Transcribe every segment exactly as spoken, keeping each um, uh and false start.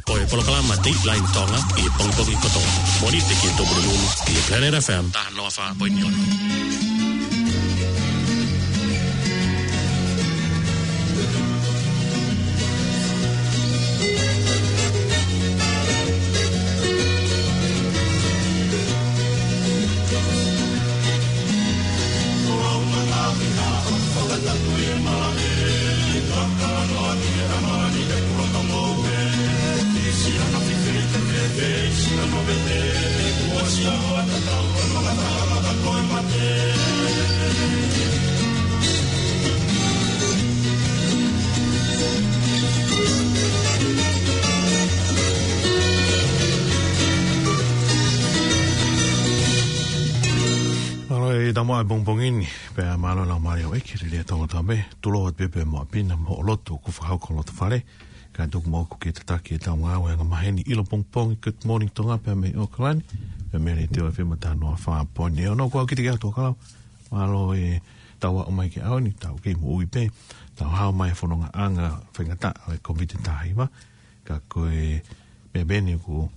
Ko e polokalama Dateline Tonga ʻi he pongipongi kotoa. Mōnite ki he Tupuna Moon ʻi he Planet F M taha noa fā poini ono. Mālō e taumuʻa he pongipongi ni, pea mālō e laumālie ʻo e ʻEiki, lelei ʻa Tonga Tapu, tulou atu pē pea mo ʻapi na mo hoʻo lotu ʻoku fakahoko ʻi loto fale, kae tuku muʻa ʻoku ke tataki ʻetau ngāue angamaheni ʻi he pongipongi, Good Morning Tonga pea mei ʻAokalani, pea mei he Letiō F M taha noa fā poini ono. Ko au Kitiki ʻAtoʻakau, mālō e tau aʻu mai ki he ʻaho ni, tau kei moʻui pē, tau hao mai he fonongaʻanga faingataʻa ʻo e Kōviti taha hiva, ka ko e meʻa pē eni ʻoku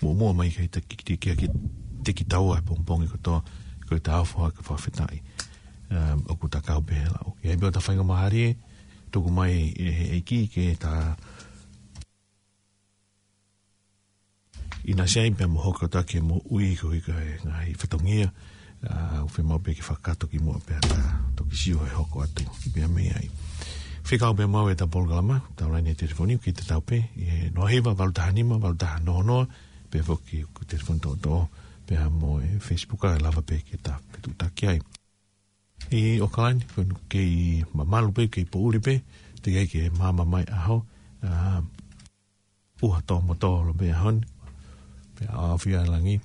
muʻomuʻa mai ki he taki, ki, ki, ki, te ki taua he pongipongi kotoa, ko e tau foaki e fakafetaʻi, um, ʻoku ta kau pē he lau. ʻI ai pē hota faingamālie, tuku mai ʻe he ʻEiki ke ta ʻinasi ai pea mo hoko atu ki he moʻui koeʻuhi ko e ngaahi fatongia, ʻa, ʻoku fiemaʻu pē ke fakakakato kimuʻa pea ta toki sio he hoko atu pea mei ai. Fekau pē maʻu ʻetau polokalama, tau laine telefoni, ʻoku ʻiate kitautolu pē, ʻi he noa hiva, valu taha nima, valu taha noa noa, pea foki ko e telefoni toʻotoʻo, pea mo e Facebook ʻe lava pē ke ta fetuʻutaki ai. ʻI ʻAokalani, ko eni kei mamalu pē, kei poʻuli pē, teʻeki ai ke maama mai ʻaho, ʻa, ʻuha tō motolo pē ʻaho ni, pea ʻaofia e langi,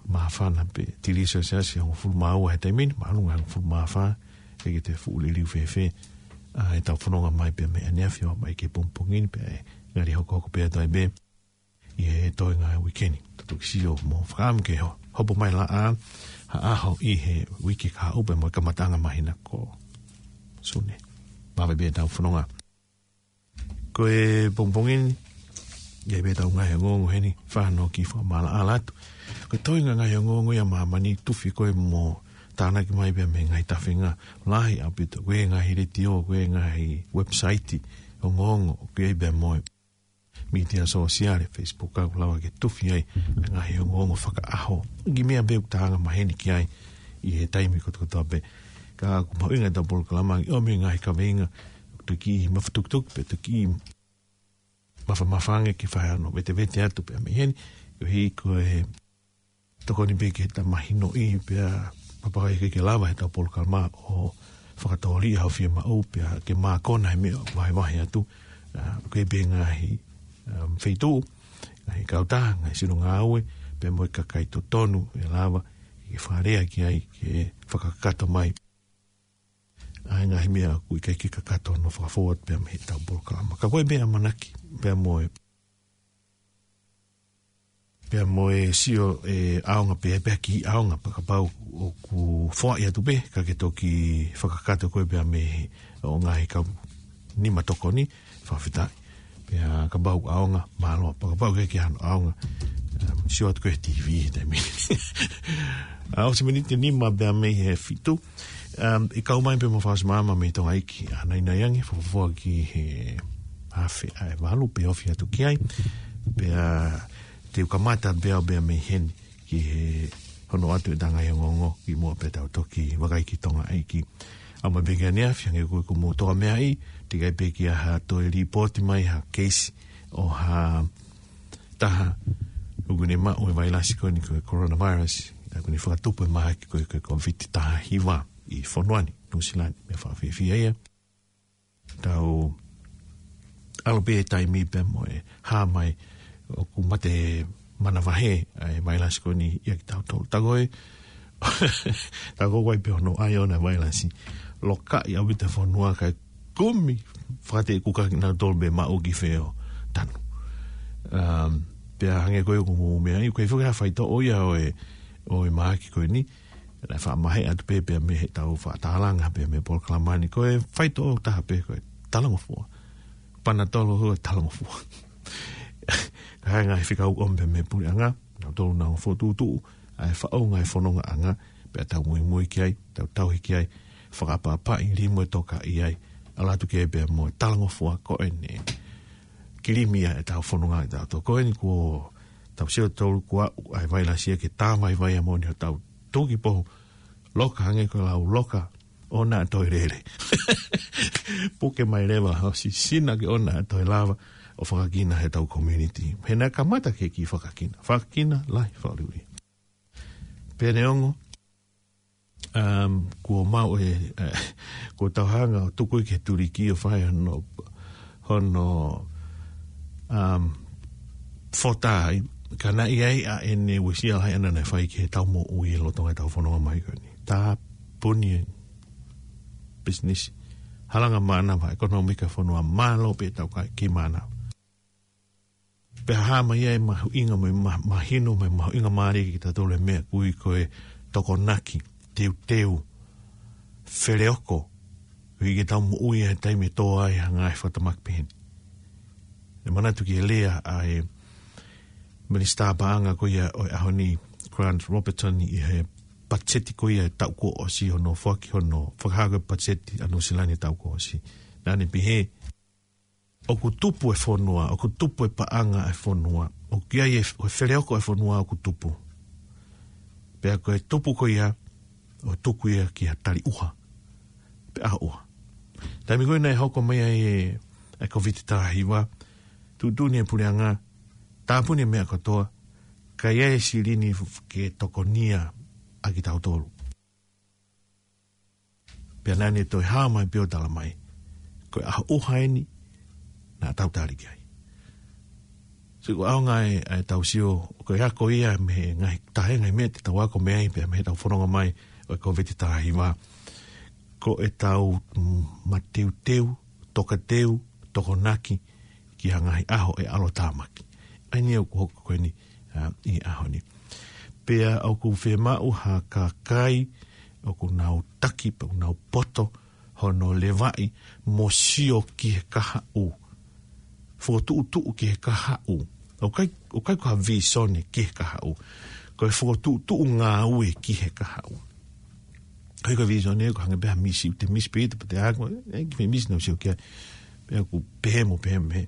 māfana pē, tili sio siasi hongofulu mā ua he taimi ni, māʻolunga hongofulu mā fā, ʻikai ke te fuʻu liliu fēfē, ʻa, ʻetau fononga mai pea mei ʻaneafi ʻo mai ki he pongipongi ni, pea ʻe ngali hokohoko pē ʻa e taimi pē, ʻi he toenga e uike ni, ta toki sio mo fakaʻamu ke ho-, hopo mai laʻā, ha ʻaho ʻi he uike kahaʻu pea mo e kamataʻanga māhina ko Sune. Māvae pē ʻetau fononga. Ko e pongipongi ni, ʻi ai pē ʻetau ngaahi ongoongo heni, fānau ki fakamaʻalaʻala atu. Ko e toenga ngaahi ongoongo ia ʻa māmani, tufi ko ē mo tānaki mai pea mei he ngaahi tafenga lahi ʻaupito, ko e ngaahi letiō, ko e ngaahi website, ongoongo, ko e pea mo e mītia sōsiale, Facebook, ʻoku lava ke tufi ai e ngaahi ongoongo fakaʻaho. Ki he meʻa pē ʻoku ta angamaheni ki ai ʻi he taimi kotokotoa pē. Ka ʻoku mahuʻinga ʻetau polokalama ʻi ʻomi e ngaahi kaveinga, toki mafatukutuku pē, toki mafamafa ange ke fai hano vetevete atu pea mei heni, koeʻuhi ko e tokoni pē ke ta mahinoʻi pea pea ʻikai ke lava heʻetau polokalama ʻo fakatōliʻa ʻa e fiemaʻu pea ke mākona he meʻa ʻoku vahevahe atu, ʻa, ko e pē ngaahi, um, feituʻu, ngaahi kautaha, ngaahi sino ngāue, pea mo e kakai totonu ʻe lava ke fakalea ki ai ke fakakakato mai ʻa e ngaahi meʻa ʻoku ʻikai ke kakato hono fakafou atu pea mei heʻetau polokalama. Ka ko e meʻa ʻamanaki, pea mo e, pea mo e sio ʻe ʻaonga pē, pea ki ʻaonga pea kapau ʻoku foaʻi atu pē, ka ke toki fakakakato ko ē pea mei he ʻo ngaahi kau nima tokoni, fakafetaʻi. Pea kapau ʻaonga, mālō, pea kapau ʻikai ke hano ʻaonga, um, sio atu ko ē he T V, taimi. ʻA, ʻosi miniti nima pea mei he fitu, um, ʻe kau mai pē mo Faʻasi Maama mei Tonga ʻEiki, ʻa Nainai ange, fuofua ki he afe ʻa e valu, pea ofi atu ki ai. Pea te u kamata pē au pea mei heni ki he hono ʻoatu ʻetau ngaahi ongoongo kimuʻa pea tau toki vakai ki Tonga ʻEiki. ʻAma pē ki ʻaneafi, hangē ko ē ʻoku mou toka meaʻi, teʻeki ai pē ke ʻi ai ha toe lipooti mai ha keisi ʻo ha taha ʻoku ne maʻu e vailasi ko eni ko e coronavirus, ʻa ʻoku ne fakatupu e mahaki ko ē ko e Kōviti taha hiva ʻi he fonua ni, Nuʻusila ni, meʻa fakafiefia ia. Tau ʻalu pē he taimi pea mo e hā mai ʻoku mate manavahē ʻa e vailasi ko eni ʻia kitautolu. Tā ko ē, tā ko ē ʻoku ʻi ai pē hono ʻai ʻona e vailasi, lokaʻi ʻaupito e fonua kae kumi fakateʻekukaki nautolu pē maʻu ki fē ʻo tanu. Um, pea hangē ko ē ʻoku mou meaʻi, ʻoku ʻikai foki ha faitoʻo ia ʻo e, ʻo e mahaki ko eni, naʻe faʻa mahe atu pē pea mei heʻetau faʻa tālanga pea mei he polokalama ni, ko e faitoʻo taha pē ko e talangofua. Panatolo hua talangofua. Ka e ngaahi fekau ʻomi pē mei he puleʻanga, nautolu nau fokotuʻutuʻu ʻa e faʻunga e fonongaʻanga, pea tau muimui ki ai, tau tauhi ki ai, fakaʻapaʻapaʻi limu e toka ʻi ai, ʻalu atu ki ai pea mo e talangofua ko eni. Kilimia e tau fononga e tau toko eni kuo tau sio tolu kua ʻa e vailasi ia ke tā vaivai ʻa moʻoni ʻo tau tuki pohu loka hangē ko e lau loka ʻo na toe lele. Puke mai leva ʻo sisina ke ʻo na toe lava ʻo fakakina he tau community. He na kamata ke ki fakakina. Fakakina lahi fakaluʻi. Pea neongo, um, kuo mau e, eh, kuo tau hanga ʻo tuku ke tuliki ʻo fai hono, hono, um, fota ai, ka naʻe ʻi ai ʻa ʻene uesia lahi ʻana naʻe fai ke tau moʻui e loto ngai tau fononga mai ko eni. Tā puni e business. Halanga mānava, ʻekonōmika fonua mālō pē tau kai ki mānava. Pea hā mai ai mahuʻinga mai ma-, mahino mai mahuʻinga mālie ki tatole meʻa kui ko e tokonaki, teuteu, feleoko, ko i ke tau moʻui e taimi tō ai hanga e fakatamaki peheni. E manatu ki he lea ʻa e Minisitā Paʻanga ko ia ʻo e ʻaho ni, Grant Robertson, ʻi he patiseti ko ia e taʻu kuo ʻosi hono foaki hono fakahā ko e patiseti ʻa Nuʻusila ni taʻu kuo ʻosi. Naʻa ne pehē, ʻoku tupu e fonua, ʻoku tupu e paʻanga e fonua, ʻoku ʻi ai e f-, e feleoko e fonua ʻoku tupu. Pea ko e tupu ko ia, ʻo tuku ia ki ha tali ʻuha, pe ʻaho ʻuha. Taimi ko ē naʻe hoko mai ai e, e Kōviti taha hiva, tuʻutuʻuni e puleʻanga, tāpuni e meʻa kotoa, ka ʻi ai e silini f-, ke tokonia ʻa kitautolu. Pea naʻa ne toe hā mai pē ʻo tala mai, ko e ʻaho ʻuha eni, naʻa tau tali ki ai. So, ko e ʻaonga e, e tau sio, ko e ako ia mei he ngaahi taha e ngaahi meʻa te tau ako mei ai, pea mei he tau fononga mai ʻo e Kōviti taha hiva. Ko e tau, mm, mateuteu, tokateu, tokonaki, ki ha ngaahi ʻaho e ʻalotāmaki. ʻA ia ʻoku hoko ko eni, ā, ʻi he ʻaho ni. Pea ʻoku fiemaʻu ha kakai, ʻoku nau taki, pe ʻoku nau poto, hono levaʻi, mo sio ki he kahaʻu. Fokotuʻutuʻu ki he kahaʻu. ʻOku ʻikai, ʻoku ʻikai ko ha visone ki he kahaʻu. Ko e fokotuʻutuʻu ngāue ki he kahaʻu. Ko e ko e visone ko e hangē pē ha misi, te misi pē ʻita, pea te ako, e, ki he misi nau sio ki ai. Pea ʻoku pehē mo pehē mo pehē.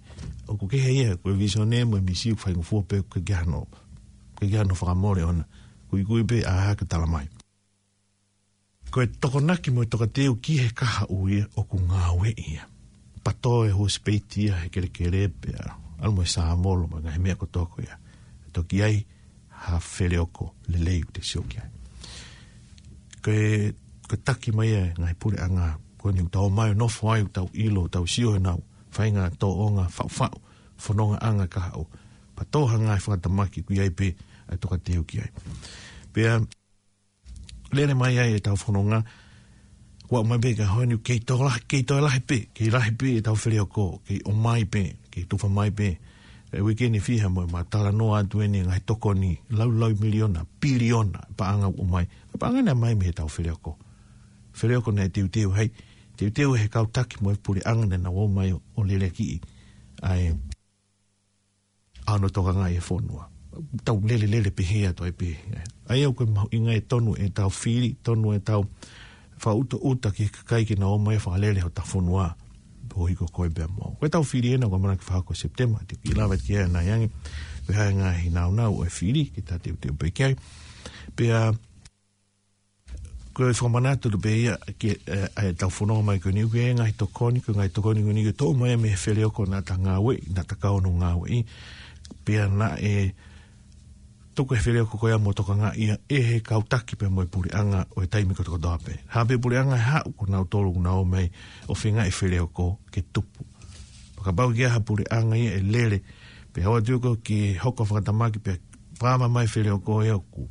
ʻOku kehe ia, ko e visone mo e misi ʻoku faingofua pē, ʻoku ʻikai ke ʻi ai hano, ʻoku ʻikai ke ʻi ai hano fakamole ʻona. Kuikui pē ʻa ha ka tala mai. Ko e tokonaki mo e tokateu ki he kahaʻu ia ʻoku ngāueʻi ia. Patō e husepāniti ia he kelekele pea ʻalu mo e sāvolo mo e ngaahi meʻa kotoa ko ia. Toki ʻi ai ha feleoko lelei ʻoku te sio ki ai. Ko e, ko e taki mai e ngaahi puleʻanga, ko eni ʻoku tau ō mai ʻo nofo ai, ʻoku tau ʻilo, ʻoku tau sio ʻenau faʻahinga tōʻonga faʻufaʻu, fonongaʻanga kahaʻu. Patō ha ngaahi fakatamaki ʻoku ʻi ai pē ʻa e tokateu ki ai. Pea lele mai ai e tau fononga, ʻoku aʻu mai pē ki he ʻaho ni, kei toe lahi, kei toe lahi pē, kei lahi pē e tau feleoko, kei ʻomai pē, kei tufa mai pē. E uike ni fiha mo e ma talanoa atu eni ngaahi tokoni, laulau miliona, piliona, paʻanga ʻoku ʻomai. Paʻanga naʻe ʻomai mei he tau feleoko. Feleoko naʻe teuteu hai, teuteu he kau taki mo e puleʻanga naʻa nau ō mai ʻo, ʻo leleakiʻi. ʻA e ʻa hono tokangaʻi e fonua. Tau lele lele pehē atu ai pē. ʻA ia ʻoku mahuʻinga e tonu e tau fili, tonu e tau fakaʻutaʻuta ki he kakai ke nau ō mai fakalele hota fonua. Pohi ko koe pea mo. Ko e tau fili ena ʻoku ʻamanaki fakahoko Sepitema, te u kiʻi lave ki ai ʻanai ange. Ko e hā e ngaahi nāunau ʻo e fili, ke ta teuteu pē ki ai. Pea ko e fakamanatu atu pē ia ki, e, e tau fononga mai ko eni, ko e ngaahi tokoni, ko e ngaahi tokoni ko eni ko e toʻo mai mei he feleoko naʻa ta ngāueʻi, naʻa ta kau ʻo ngāueʻi, pea naʻe tuku e feleoko ko ia mo tokangaʻi ia ʻe he kau taki pea mo e puleʻanga ʻo e taimi kotokotoa pē. Hā pē puleʻanga ʻe haʻu ko nautolu ʻoku nau ō mai ʻo feingaʻi feleoko ke tupu. Pea kapau ʻoku ʻi ai ha puleʻanga ia ʻe lele, pea ʻoua ʻe tuku ke hoko fakatamaki pea pāma mai feleoko ia ʻoku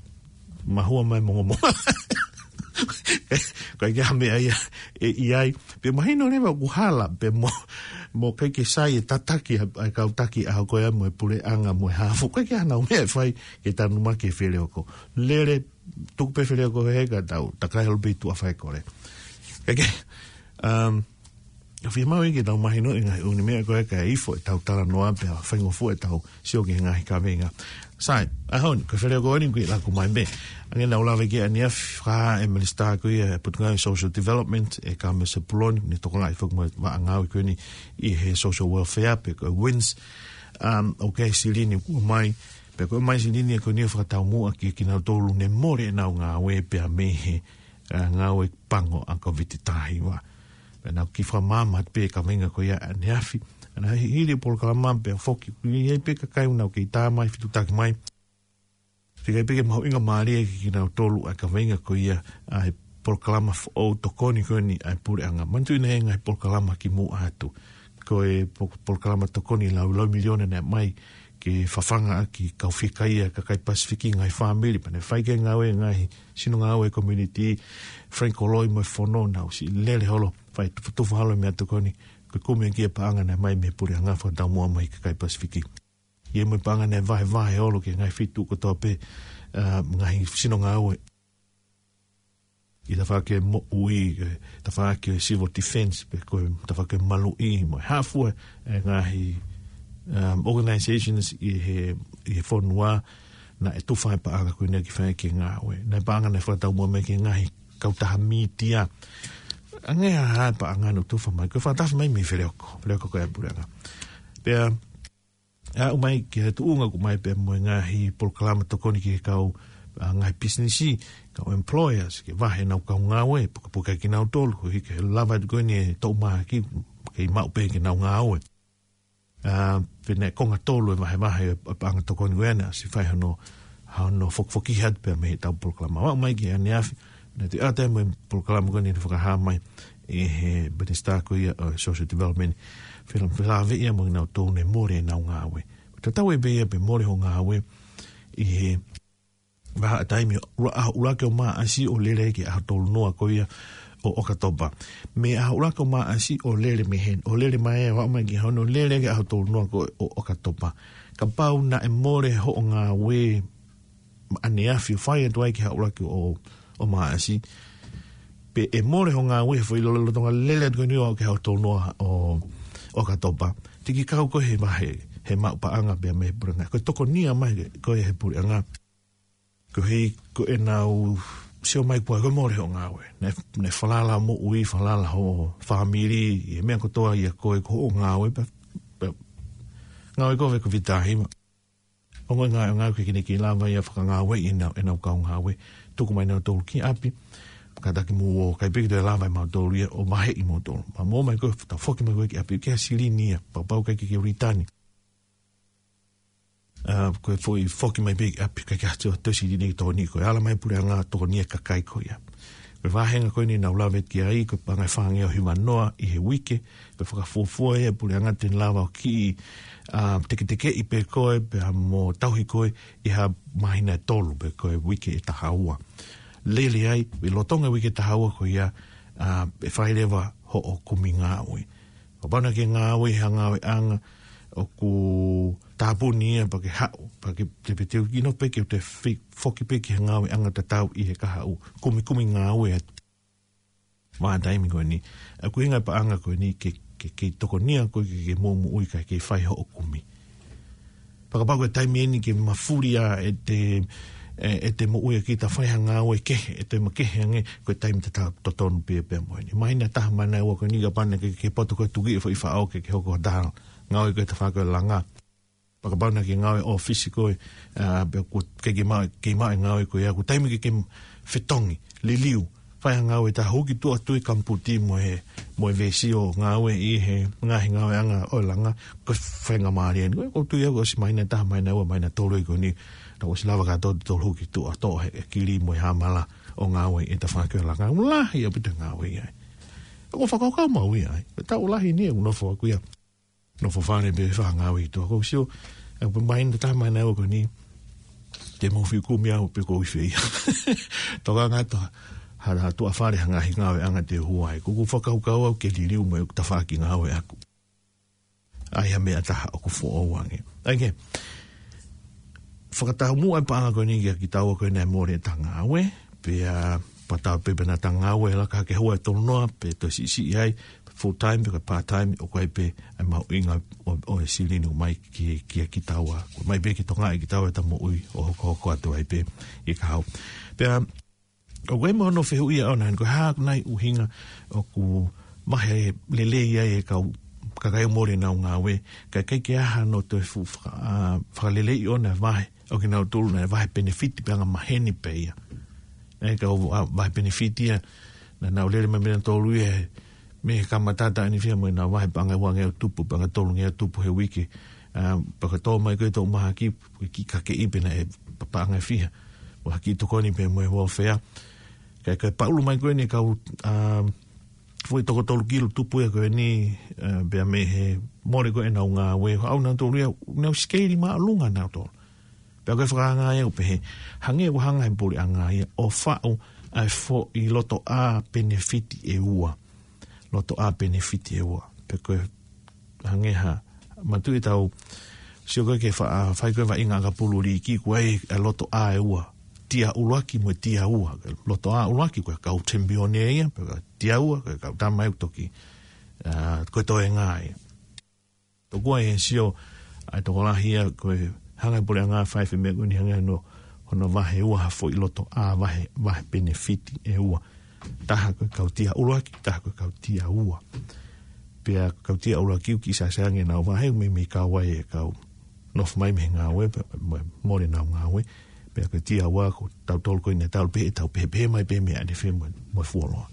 mahua mai mongomongo. Ko e ʻikai ha meʻa ia ʻe ʻi ai. Pea mahino leva ʻoku hala, pea mo, mo ʻikai ke sai e tataki ʻa, ʻa e kau taki ʻaho ko ia mo e puleʻanga mo e haafe. Ko e ʻikai ha nau meʻa ʻe fai ke tanumaki e feleoko. Lele, tuku pē feleoko he ka tau, takai holo pē ʻi tuʻa fai kole. Ke, ke, um, Ka fiemaʻu ke tau mahinoʻi e ngaahi ʻū meʻa ko ē kae ifo ʻetau talanoa pea faingofua ʻetau sio ki he ngaahi kaveinga. Sai, ʻaho ni, ko e feleoko eni ʻoku laku mai pē. Hangē naʻa ku lave ki ai ʻaneafi, fakahā ʻe he minisitā ko ia ʻo e Potungāue Social Development, ʻe Kamea Sepuloni, ne tokangaʻi foki mo e vaʻa ngāue ko eni ʻi he social welfare pe ko e WINZ, um, ʻoku ʻi ai e silini kuo ʻomai, pea ko e ʻomai e silini ko eni ʻo fakataumuʻa ki, kinautolu ne mole ʻenau ngāue pea mei he, uh, ngāue pango ʻa e Kōviti taha hiva. Pea naʻa ku kiʻi fakamaama atu pē he kaveinga ko ia ʻaneafi. Naʻe hili e polokalama pea foki, ʻoku ʻi ai pē kakai naʻa nau kei tā mai, fetutaki mai. Fika pē ke mahuʻingamālie kiate kinautolu ʻa e kaveinga ko ia ʻa e polokalama foʻou tokoni ko eni ʻa e puleʻanga. Manatuʻi naʻe ʻi ai e ngaahi polokalama kimuʻa atu. Ko e po-, polokalama tokoni laulau miliona naʻe ʻomai ke fafanga ʻaki e kau fiekaia ʻa e kakai Pasifiki, ngaahi fāmili, pea naʻe fai ki ai e ngāue ʻa e ngaahi sino ngāue community, Frank Koloi mo e fono, naʻa nau ʻosi lele holo, fai tufa, tufa holo e meʻatokoni, ko e kumi ʻaki e paʻanga naʻe ʻomai mei he puleʻanga fakataumuʻa mai ki he kakai Pasifiki. ʻI ai mo e paʻanga naʻe vahevahe holo ki he ngaahi feituʻu kotoa pē, uh, ngaahi sino ngāue. ʻI he tafaʻaki ʻo e moʻui, ʻi he tafaʻaki ʻo e civil defense, pe ko e tafaʻaki ʻo e maluʻi mo e hā fua e ngaahi, um, organizations ʻi he, ʻi he fonua, naʻe tufa e paʻanga ko eni ke fai ki he ngāue. Naʻe paʻanga naʻe fakataumuʻa mai ki he ngaahi kautaha mītia. Hangē ha, ha paʻanga naʻe tufa mai, ko e fakatafe mai mei he feleoko, feleoko ko ia ʻa e puleʻanga. Pea aʻu mai ki he tuʻunga ʻoku ʻomai pē mo e ngaahi polokalama tokoni ki he kau, a, ngaahi pisinisi, kau employers, ke vahe ʻenau kau ngāue, pukepuke kinautolu, koeʻuhi ke lava atu ko eni e toʻu mahaki, kei maʻu pē ke nau ngāue. A, pea naʻe konga tolu e vahevahe e paʻanga tokoni ko ena, ʻosi fai hono, hono fokifoki atu pē mei heʻetau polokalama. Aʻu mai ki ʻaneafi, naʻe toe ʻatā mo e polokalama ko eni naʻe fakahā mai ʻe he minisitā ko ia ʻo e social development, fela-, felāveʻi ia mo kinautolu ne mole ʻenau ngāue. Tatau ai pē ia pe mole hoʻo ngāue ʻi he vahaʻa taimi ʻo ʻuluaki ʻo Maʻasi ʻo lele ki he ʻaho tolu noa ko ia ʻo ʻOkatopa. Mei he ʻuluaki ʻo Maʻasi ʻo lele mei heni, ʻo lele mai ʻo aʻu mai ki hono lele ki he ʻaho tolu noa ko ia ʻo ʻOkatopa. Kapau naʻe mole hoʻo ngāue ʻaneafi ʻo fai atu ai ki he ʻuluaki ʻo, ʻo Maʻasi, pe ʻe mole hoʻo ngāue he foʻi lolotonga lele atu ko eni ʻo aʻu ki he ʻaho tolu noa ʻo, ʻo ʻOkatopa, te ke kau koe he vahe, he maʻu paʻanga pē mei he puleʻanga. Ko e tokonia mai koe ʻe he puleʻanga. Koeʻuhi ko ʻenau sio mai ko e, ko e mole hoʻo ngāue. Naʻe, naʻe falala moʻui, falala ho fāmili, ʻi he meʻa kotoa ia ko e, ko hoʻo ngāue pē, pē, ngāue ko e Kōviti taha hiva. Ongo ngā, ngāue ke kine ke lava ia ʻo fakangāueʻi ʻenau, ʻenau kau ngāue. Tuku mai nautolu ki ʻapi, kātaki mo ʻikai pē ke toe lava ʻe mautolu ia ʻo vaheʻi mautolu. Pea mo mai ko e, tau foki mai ko ē ki ʻapi, ʻikai ha silini ia, kapau ʻikai ke ke return. A, ko e foʻi foki mai pē ki ʻapi, ʻikai ke ʻi ai ha toe silini ke tokoni, ko e ala mai e puleʻanga ʻo tokoni ki he kakai ko ia. Ko e vāhenga ko eni naʻa ku lave ki ai, ko e paʻanga ʻe fāngeau hiva noa ʻi he uike, ko e fakafuofua ia ʻa e puleʻanga te ne lava ʻo kiʻi, a, teketekeʻi pē koe, pea mo tauhi koe ʻi ha māhina ʻe tolu pe ko e uike ʻe taha ua. Lele ai, ʻi he lolotonga e uike ʻe taha ua ko ia, a, ʻe fai leva hoʻo kumi ngāue. Kapau naʻa ke ngāue ʻi ha ngāueʻanga ʻoku tāpuni ia pea ke haʻu, pea ke teuteu ke nofo pē ke u te fi-, foki pē ki he ngāueʻanga tatau ʻi he kahaʻu, kumikumi ngāue atu. Vahaʻa taimi ko eni, ʻa, ko e ʻuhinga e paʻanga ko eni ke, ke, ke tokonia koe ke, ke moʻumoʻui kae kei fai hoʻo kumi. Pea kapau ko e taimi eni ke mafuli ai ʻete, ʻe, ʻete moʻui ʻaki ʻete fai ha ngāue kehe, ʻete makehe ange, ko e taimi tatau totonu pē pea mo eni. Māhina ʻe taha māhina ʻe ua ko eni kapau naʻa ke, ke poto koe tuki e foʻi faʻo ke, ke hoko ha taha ngāue ko e tafaʻaki ʻo e langa. Pea kapau naʻa ke ngāue ʻōfisi koe, a, pea ʻoku ʻikai ke maʻu, ke maʻu e ngāue ko ia, ko e taimi ke, ke fetongi, liliu, fai ha ngāue ʻe taha, hū ki tuʻa, tui e kamaputi mo e, mo e veesi ʻo ngāue ʻi he ngaahi ngāueʻanga ʻo e langa, ko e faingamālie eni. Ko e, ʻoku ou tui au ʻosi māhina ʻe taha, māhina ʻe ua, māhina ʻe tolu ko eni, naʻa ku ʻosi lava kātoa ʻo tolu hū ki tuʻa, toʻo e, e kili mo e hāmala ʻo ngāue ʻi he tafaʻaki ʻo e langa. Lahi ʻaupito e ngāue ia ai. ʻOku ou fakakaukau maʻu ia ai. Ko e taʻu lahi eni ʻeku nofo ʻaku ia. Nofo fale pē fai ha ngāue ʻi tuʻa. ʻOku ou sio, ʻa, pē māhina ʻe taha, māhina ʻe ua ko eni, te mou fie kumi au pe ʻoku ou ʻi fē ia. Tokanga atu ha, ha, ha tuʻa fale ha ngaahi ngāueʻanga te u hū ai. ʻOku ou fakakaukau au ke liliu mai ʻeku tafaʻaki ngāue ʻaku. ʻAi ha meʻa ʻe taha ʻoku foʻou ange. ʻAi ke, fakataumuʻa e paʻanga ko eni kiate kitaua ko ē naʻe mole ʻeta ngāue, pea, pea tau pē pē naʻa ta ngāue laka hake he ua ʻe tolu noa, pe toe siʻisiʻi ai, full time pe ko e part time, ʻoku ʻi ai pē ʻa e mahuʻinga ʻo, ʻo e silini ʻoku ʻomai ki, ki, kitaua. ʻOku ʻomai pē ke tokangaʻi kitaua ʻi heʻeta moʻui ʻo hokohoko atu ai pē ʻi he kahaʻu. Pea, ʻoku ʻi ai mo hono fehuʻia ʻona, ko e hā ʻoku nai ʻuhinga ʻoku vahe lelei ai e kau kakai ʻoku mole ʻenau ngāue, kae ʻikai ke ʻi ai hano toe fuʻu faka-, ʻa, fakaleleiʻi ʻona e vahe ʻo kinautolu naʻe vahe penefiti pe anga maheni pē ia. ʻE kau, ʻa, vahe penefiti ia, naʻa nau lele mai mei he tolu ia, mei he kamata ʻanefia mo ʻenau vahe paʻanga ʻe uangeau tupu, paʻanga ʻe tolungeau tupu he uike. ʻA, pea ka tō mai ko e toʻu mahaki, ko e kiʻi kakeʻi pē naʻe pa-, paʻanga ʻe fiha. Mo ha kiʻi tokoni pē mo e welfare. Kae, kae paʻulu mai ko eni e kau, ʻa, foʻi toko tolu kilu tupu ia ko eni, ʻa, pea mei he mole ko ē ʻenau ngāue. Haʻu nautolu ia, nau sikeili māʻolunga nautolu. Pea ko e fakaanga ia ʻoku pehē, hangē ʻoku hanga he puleʻanga ia ʻo faʻu ʻa e foʻi lotoʻā penefiti ʻe ua. Lotoʻā penefiti ʻe ua. Pea ko e hangē ha, manatuʻi ʻetau sio ko ē ke fa-, ʻa, fai ko ē vaʻinga ʻakapulu liiki, ʻoku ʻi ai e lotoʻā ʻe ua. Tia ʻuluaki mo e tia ua. Lotoʻā ʻuluaki ko e kau tempione ia, pea ko e tia ua, ko e kau tama ia ʻoku toki, ʻa, ko e toenga ia. Tokua ʻe he sio ʻa e tokolahi ia ko e hanga he puleʻanga ʻo fai e meʻa ko eni, hanga ʻo, hono vahe ua ha foʻi lotoʻā vahe, vahe penefiti ʻe ua. Taha ko e kau tia ʻuluaki, taha ko e kau tia ua. Pea ko e kau tia ʻuluaki ʻoku kiʻi sāsā ange ʻenau vahe, meimei kau ai e kau nofo mai mei he ngāue, pea mo, mole ʻenau ngāue. Pea ko e tia ua ko tautolu ko eni tautolu pē, ʻe tau pehē, pehē mai pē mei ʻanefē mo, mo e fuoloa.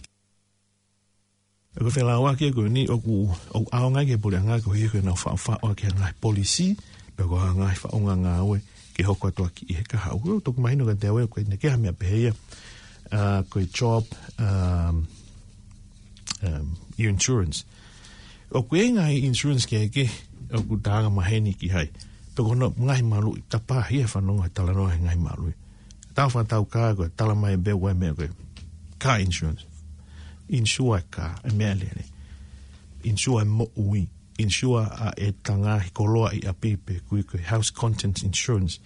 ʻA ko e felāuaki ko eni ʻoku, ʻoku ʻaonga ki he puleʻanga koeʻuhi ko ʻenau faʻufaʻu ʻaki ha ngaahi polisi, pe ko ha ngaahi faʻunga ngāue ke hoko atu ʻaki ʻi he kahaʻu. ʻOku toki mahino kiate au ʻoku ʻikai ke ʻi ai ha meʻa pehē ia, ʻa, ko e job, um, um, insurance. ʻOku ʻi ai e ngaahi insurance kehekehe ʻoku tau anga maheni ki ai. Pea ko hono ngaahi maluʻi, tapahia fanongo he talanoa he ngaahi maluʻi. Tau fakatau kā ko e tala mai pē ʻoku ʻi ai e meʻa ko e car insurance. Insure e kā, e meʻalele. Insure e moʻui. Insure ʻa ʻeta ngaahi koloa ʻi ʻapi pe ʻoku ui ko e house contents insurance.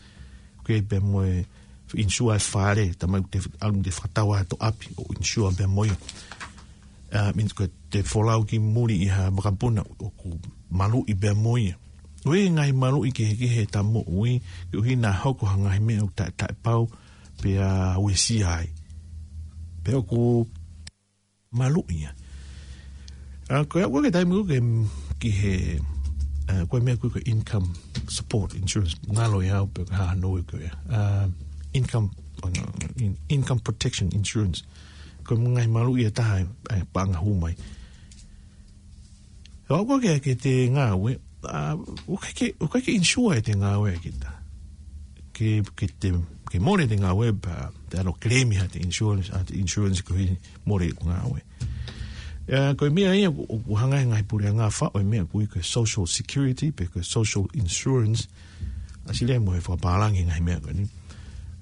ʻOku ʻi ai pē mo e insure e fale, taimi ʻoku te, ʻalu te fakatau ai hoto ʻapi ʻo insure pē mo ia. ʻA, means ko ʻete folau ki muli ʻi ha makapuna ʻoku maluʻi pē mo ia. ʻOku ʻi ai e ngaahi maluʻi kehekehe ʻeta moʻui, koeʻuhi naʻa hoko ha ngaahi meʻa ʻoku taʻe, taʻepau, pea uesia ai. Pea ʻoku maluʻi ia. ʻA, ko e, ko e taimi ʻoku ke, ki he, ʻa, ko e meʻa ko e income support insurance, ngalo ia au pe ko e hā hano ui ko ia. ʻA, income, oh, no, in-, income protection insurance. Ko e ngaahi maluʻi ʻe taha, ʻa, paʻanga hū mai. ʻOku ke, ke te ngāue, ʻa, ʻoku ʻikai ke, ʻoku ʻikai ke insure ʻete ngāue kita. Ke, ke te, ke mole ʻete ngāue pea te ʻalu ʻo claim ʻe haʻate insurance, ʻete insurance koeʻuhi mole ʻeku ngāue. ʻA, ko e meʻa ia ʻoku, ʻoku hanga he ngaahi puleʻanga ʻo faʻu e meʻa ʻoku ui ko e social security, pe ko e social insurance, ʻasi leva mo e fakapālangi ngaahi meʻa ko eni.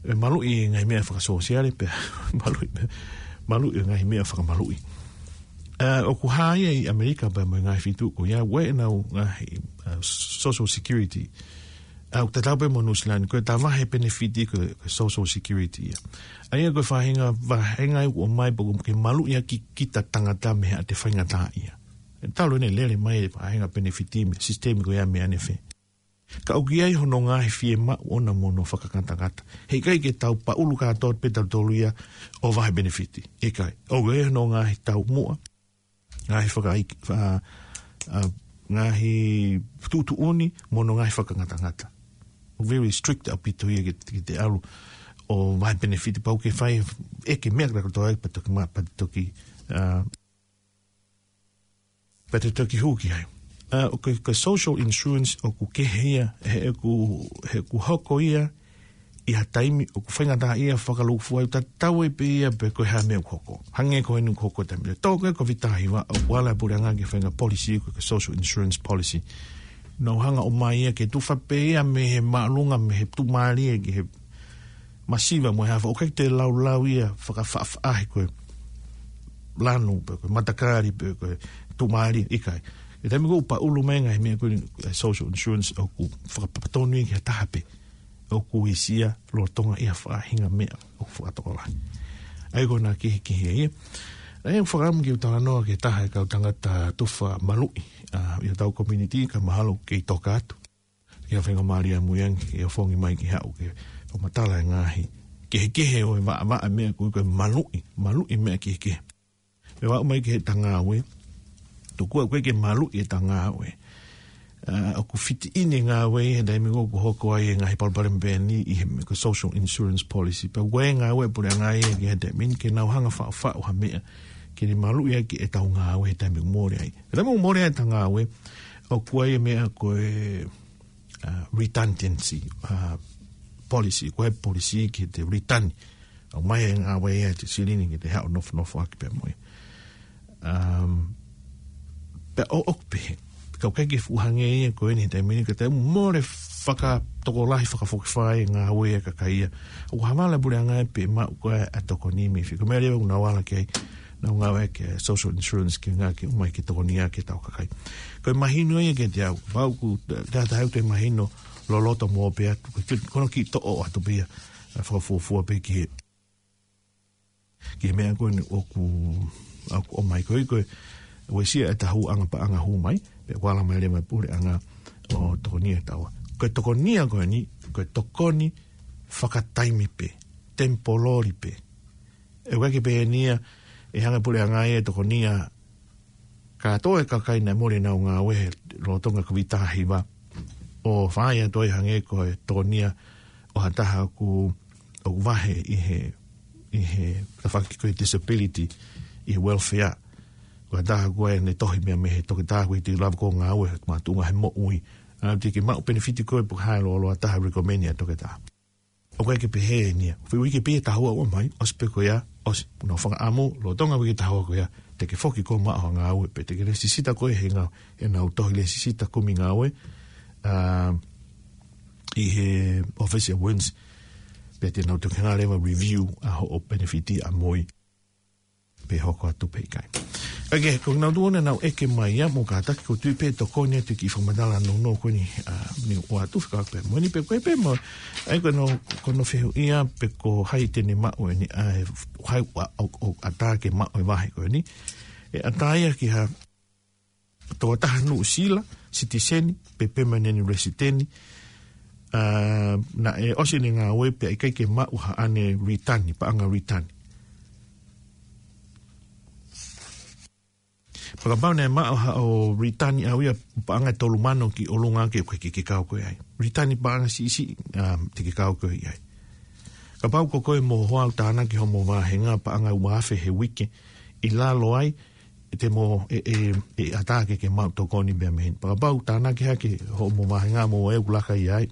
ʻE maluʻi ngaahi meʻa fakasōsiale, pea maluʻi, maluʻi ngaahi meʻa fakamaluʻi. ʻA, ʻoku hā ia ʻi ʻAmelika pea mo e ngaahi feituʻu ko ia, ʻoku ʻi ai ʻenau ngaahi, ʻa, social security. ʻA, ʻoku tatau pē mo Nuʻusila ni, ko ʻeta vahe penefiti ko e, ko e social security ia. ʻA ia ko e faʻahinga, faʻahinga ʻoku ʻomai pē ke maluʻi ʻaki kita tangata mei haʻate faingataʻaʻia. ʻE talu ʻene lele mai e faʻahinga penefiti mei he sisitemi ko ia mei ʻanefē. Ka ʻoku ʻi ai hono ngaahi fiemaʻu ʻona mo hono fakangatangata. Heʻikai ke tau paʻulu kātoa pē tautolu ia ʻo vahe penefiti. ʻIkai. ʻOku ʻi ai hono ngaahi taumuʻa, ngaahi fakaʻi-, fa-, ʻa, ngaahi tuʻutuʻuni mo hono ngaahi fakangatangata. ʻOku very strict ʻaupito ia ke, ke te ʻalu ʻo vahe penefiti pau ke fai ʻeke meʻa kātoa ai pea toki ma-, pea toki, ʻa, pea te toki hū ki ai. ʻA, ʻoku, ko e social insurance ʻoku kehe ia, he ʻoku, he ʻoku hoko ia ʻi ha taimi ʻoku faingataʻaʻia fakalūkufua ai, tatau ai pē ia pe ko e hā e meʻa ʻoku hoko. Hangē ko eni ʻoku hoko he taimi ni. Tō ko ē Kōviti taha hiva, ʻoku ala e puleʻanga ke fai ha ngaahi policy ko e social insurance policy. Nau hanga ʻo ʻomai ia ke tufa pē ia mei he māʻolunga, mei he tuʻumālie ki he masiva mo e hā fua, ʻoku ʻikai te laulau ia fakafaʻafaʻahi ko e lanu, pe ko e matakali, pe ko e tuʻumālie, ʻikai. ʻI he taimi ko ē ʻoku paʻulu mai e ngaahi meʻa ko eni, ʻa e social insurance ʻoku fakapapatonu ia ki ha taha pē ʻoku uesia lolotonga ʻi ha faʻahinga meʻa ʻoku fakatokolahi. ʻA ia ko hono kehekehe ia. ʻE fakaʻamu ke u talanoa ki he taha e kau tangata tufa maluʻi, ʻa, ʻi hotau community, ka mahalo kei toka atu. Ki he faingamālie mo e angi, ke ofongi mai ke haʻu ke fakamatala e ngaahi kehekehe ʻo e vaʻavaʻa meʻa ko e, ko e maluʻi, maluʻi meʻa kehekehe. Pea ʻomai ki heʻeta ngāue, tokua ko e ke maluʻi ʻeta ngāue. ʻA, ʻoku fiti ʻeni e ngāue he taimi ko ē ʻoku hoko ai e ngaahi palopalema pehē ni ʻi he meʻa ko e social insurance policy. Pea ko e ngāue puleʻanga ia ki he taimi ni ke nau hanga faʻufaʻu ha meʻa ke ne maluʻi ʻaki ʻetau ngāue he taimi ʻoku mole ai. He taimi ʻoku mole ai ʻeta ngāue, ʻoku ʻi ai e meʻa ko e, ʻa, redundancy, ʻa, policy, ko e policy ke te return. ʻOmai e ngāue ia ʻa e silini ke te haʻu ʻo nofonofo ʻaki pea mo ia. Um, pea ʻoku pehē, ka ʻoku ʻikai ke fuʻu hangē ia ko eni he taimi ni, ka te mole fakatokolahi, fakafokifā e ngāue ʻa e kakai ia. ʻOku havala puleʻanga ia pea maʻu ko ē ʻa e tokoni mei fē. Ko e meʻa leva ʻoku nau ala ki ai, nau ngāue ki he social insurance ke ngāue ke ʻomai ke tokoni ʻaki ʻetau kakai. Ko e mahino ia kiate au, pau ʻoku te, te, te, te mahino loloto mo pē atu, ko e, ko hono kiʻi toʻo atu pē ia, ʻa, fakafuofua pē ki he, ki he meʻa ko eni ʻoku, ʻoku ʻomai ko ē, ko e uesia ʻeta hūʻanga paʻanga hū mai, pea ʻoku ala mai leva puleʻanga ʻo tokoni ʻa taua. Ko e tokoni ia ko eni, ko e tokoni fakataimi pē, temporary pē. ʻE ʻikai ke pehē ni ia, ʻe hanga puleʻanga ia ʻo tokoni ia kātoa e kakai naʻe mole ʻenau ngāue he lolotonga Kōviti taha hiva. ʻO fai atu ai hangē ko e tokoni ia ʻo ha taha ʻoku, ʻoku vahe ʻi he, ʻi he tafaʻaki ko e disability ʻi he welfare. Ko ha taha ko ē ne tohi meʻa mei he toketā ko e te lava ko e ngāue he mātuʻa he moʻui. ʻA, te ke maʻu penefiti ko ē pe ko e hā e loloa taha recommend ʻa e toketā. ʻOku ʻikai ke pehē eni ia. Fai uike pē ia ʻe taha ua ʻomai, ʻosi pē ko ia, ʻosi. Nau fakaʻamu, lolotonga uike ʻe taha ua ko ia, te ke foki koe ʻo maʻu ha ngāue, pe te ke lēsisita koe he ngā, ʻenau tohi lēsisita kumi ngāue, ʻa, ʻi he ʻōfisi ʻa WINZ, pea te nau toki hanga leva ʻo review ʻa hoʻo penefiti ʻa MOI. Pe hoko atu pe ʻikai. ʻOku, ko ʻenau tuʻu ʻenau ʻeke mai ia, mo kātaki ʻoku ou tui pē ʻe tokoni atu e kiʻi fakamatala nounou ko eni, ʻa, ne u ʻoatu fekauʻaki pē mo eni pe ko e pē mo, ʻa ia ko hono, ko hono fehuʻi ia pe ko hai te ne maʻu eni, ʻa, hai ʻoku, ʻoku, ʻoku ʻatā ke maʻu e vahe ko eni. ʻE ʻatā ia ki ha tokotaha Nuʻusila, sitiseni, pe permanent resident, ʻa, naʻe ʻosi ʻene ngāue pea ʻikai ke maʻu haʻane ritani, paʻanga ritani. Pea kapau naʻe maʻu haʻo ritani ʻaʻau ia paʻanga ʻe tolu mano ki ʻolunga ke, ke, ke kau koe ai. Ritani paʻanga siʻisiʻi, ʻa, te ke kau koe ai. Kapau ko koe mo ho hoa ʻoku tānaki hoʻomo vāhenga paʻanga ua afe he uike, ʻi lalo ai, ʻe te mo, ʻe, ʻe, ʻe ʻatā ke ke maʻu tokoni pea mei heni. Pea kapau tānaki hake hoʻomo vāhenga mo e ʻoku laka ia ai.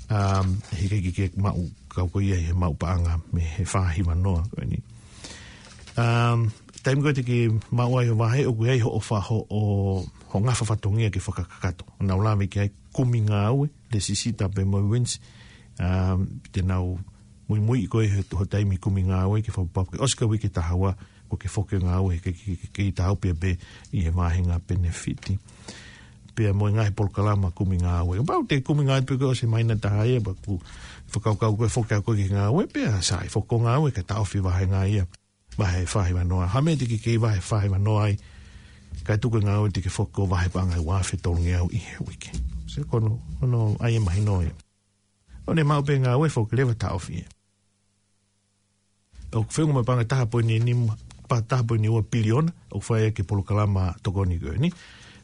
Um, he ʻikai ke, ke maʻu, kau koe ia he maʻu paʻanga mei he fā hiva noa ko eni. Um, taimi ko ē te ke maʻu ai hoʻo vahe ʻoku ʻi ai hoʻo fa-, hoʻo, hoʻo ngafa fatongia ke fakakakato. Nau lave ki ai kumi ngāue, lēsisita pea mo e WINZ, um, te nau muimui koe he, ho taimi kumi ngāue ke fakapapauʻi ʻosi ko e uike ʻe taha ua, kuo ke foki ʻo ngāue he ke, ke, ke, ke tau pē pē ʻi he vāhenga penefiti. Pea mo e ngaahi polokalama kumi ngāue. Kapau te kumi ngāue pē koe ʻosi he māhina ʻe taha ia, pea ʻoku fakakaukau koe ʻe foki ʻa koe ki he ngāue, pea sai, foki ʻo ngāue kae taʻofi e vāhenga ia. Vahe fā hiva noa. Ha meʻa te ke kei vahe fā hiva noa ai. Kae tuku e ngāue te ke foki ʻo vahe paʻanga ʻe ua afe tolungeau ʻi he uike. Sio ko hono, hono ʻai e mahino ia. ʻO ne maʻu pē ngāue foki leva taʻofi ia. ʻOku feʻunga mo e paʻanga ʻe taha poini nima, pa taha poini ua piliona, ʻoku fai ʻaki e polokalama tokoni ko eni.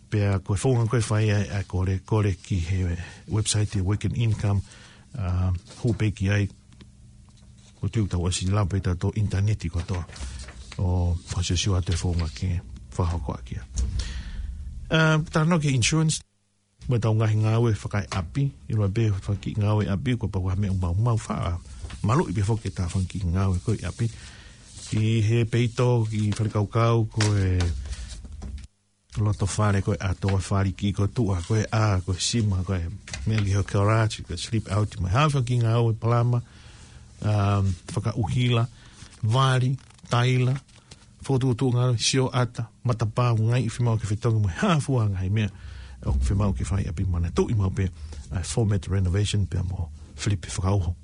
Pea ko e founga ko ē ʻe fai ai ʻa e kole, kole ki he website ʻa e Awaken Income, ʻa, hū pē ki ai, ʻoku ou tui ʻoku tau ʻosi lava pē ʻetau ʻinitaneti kotoa. ʻO fakasiosio atu e founga ke fakahoko ʻaki ia. ʻA, talanoa ki he insurance, mo ʻetau ngaahi ngāue fakaeʻapi, ʻiloa pē fanga kiʻi ngāue ʻapi, kuo pau ke ʻi ai ha meʻa ʻoku maumau, faʻa maluʻi pē foki ʻetau fanga kiʻi ngāue ko ē ʻapi. ʻI he peito, kiʻi fale kaukau, ko e loto fale, ko e ʻato, ko e fāliki, ko e tuʻa, ko e ʻā, ko e sima, ko e meʻa ki he garage, ko e sleep out, mo e hā fua e kiʻi ngāue palama, um, fakaʻuhila, vali, taila, fokotuʻutuʻu ngāue, sioʻata, matapā, ngaahi fiemaʻu ke fetongi mo e hā fua e ngaahi meʻa ʻoku fiemaʻu ke fai ʻapi. Manatuʻi maʻu pē ʻa e format renovation pea mo Filipe Fakauho.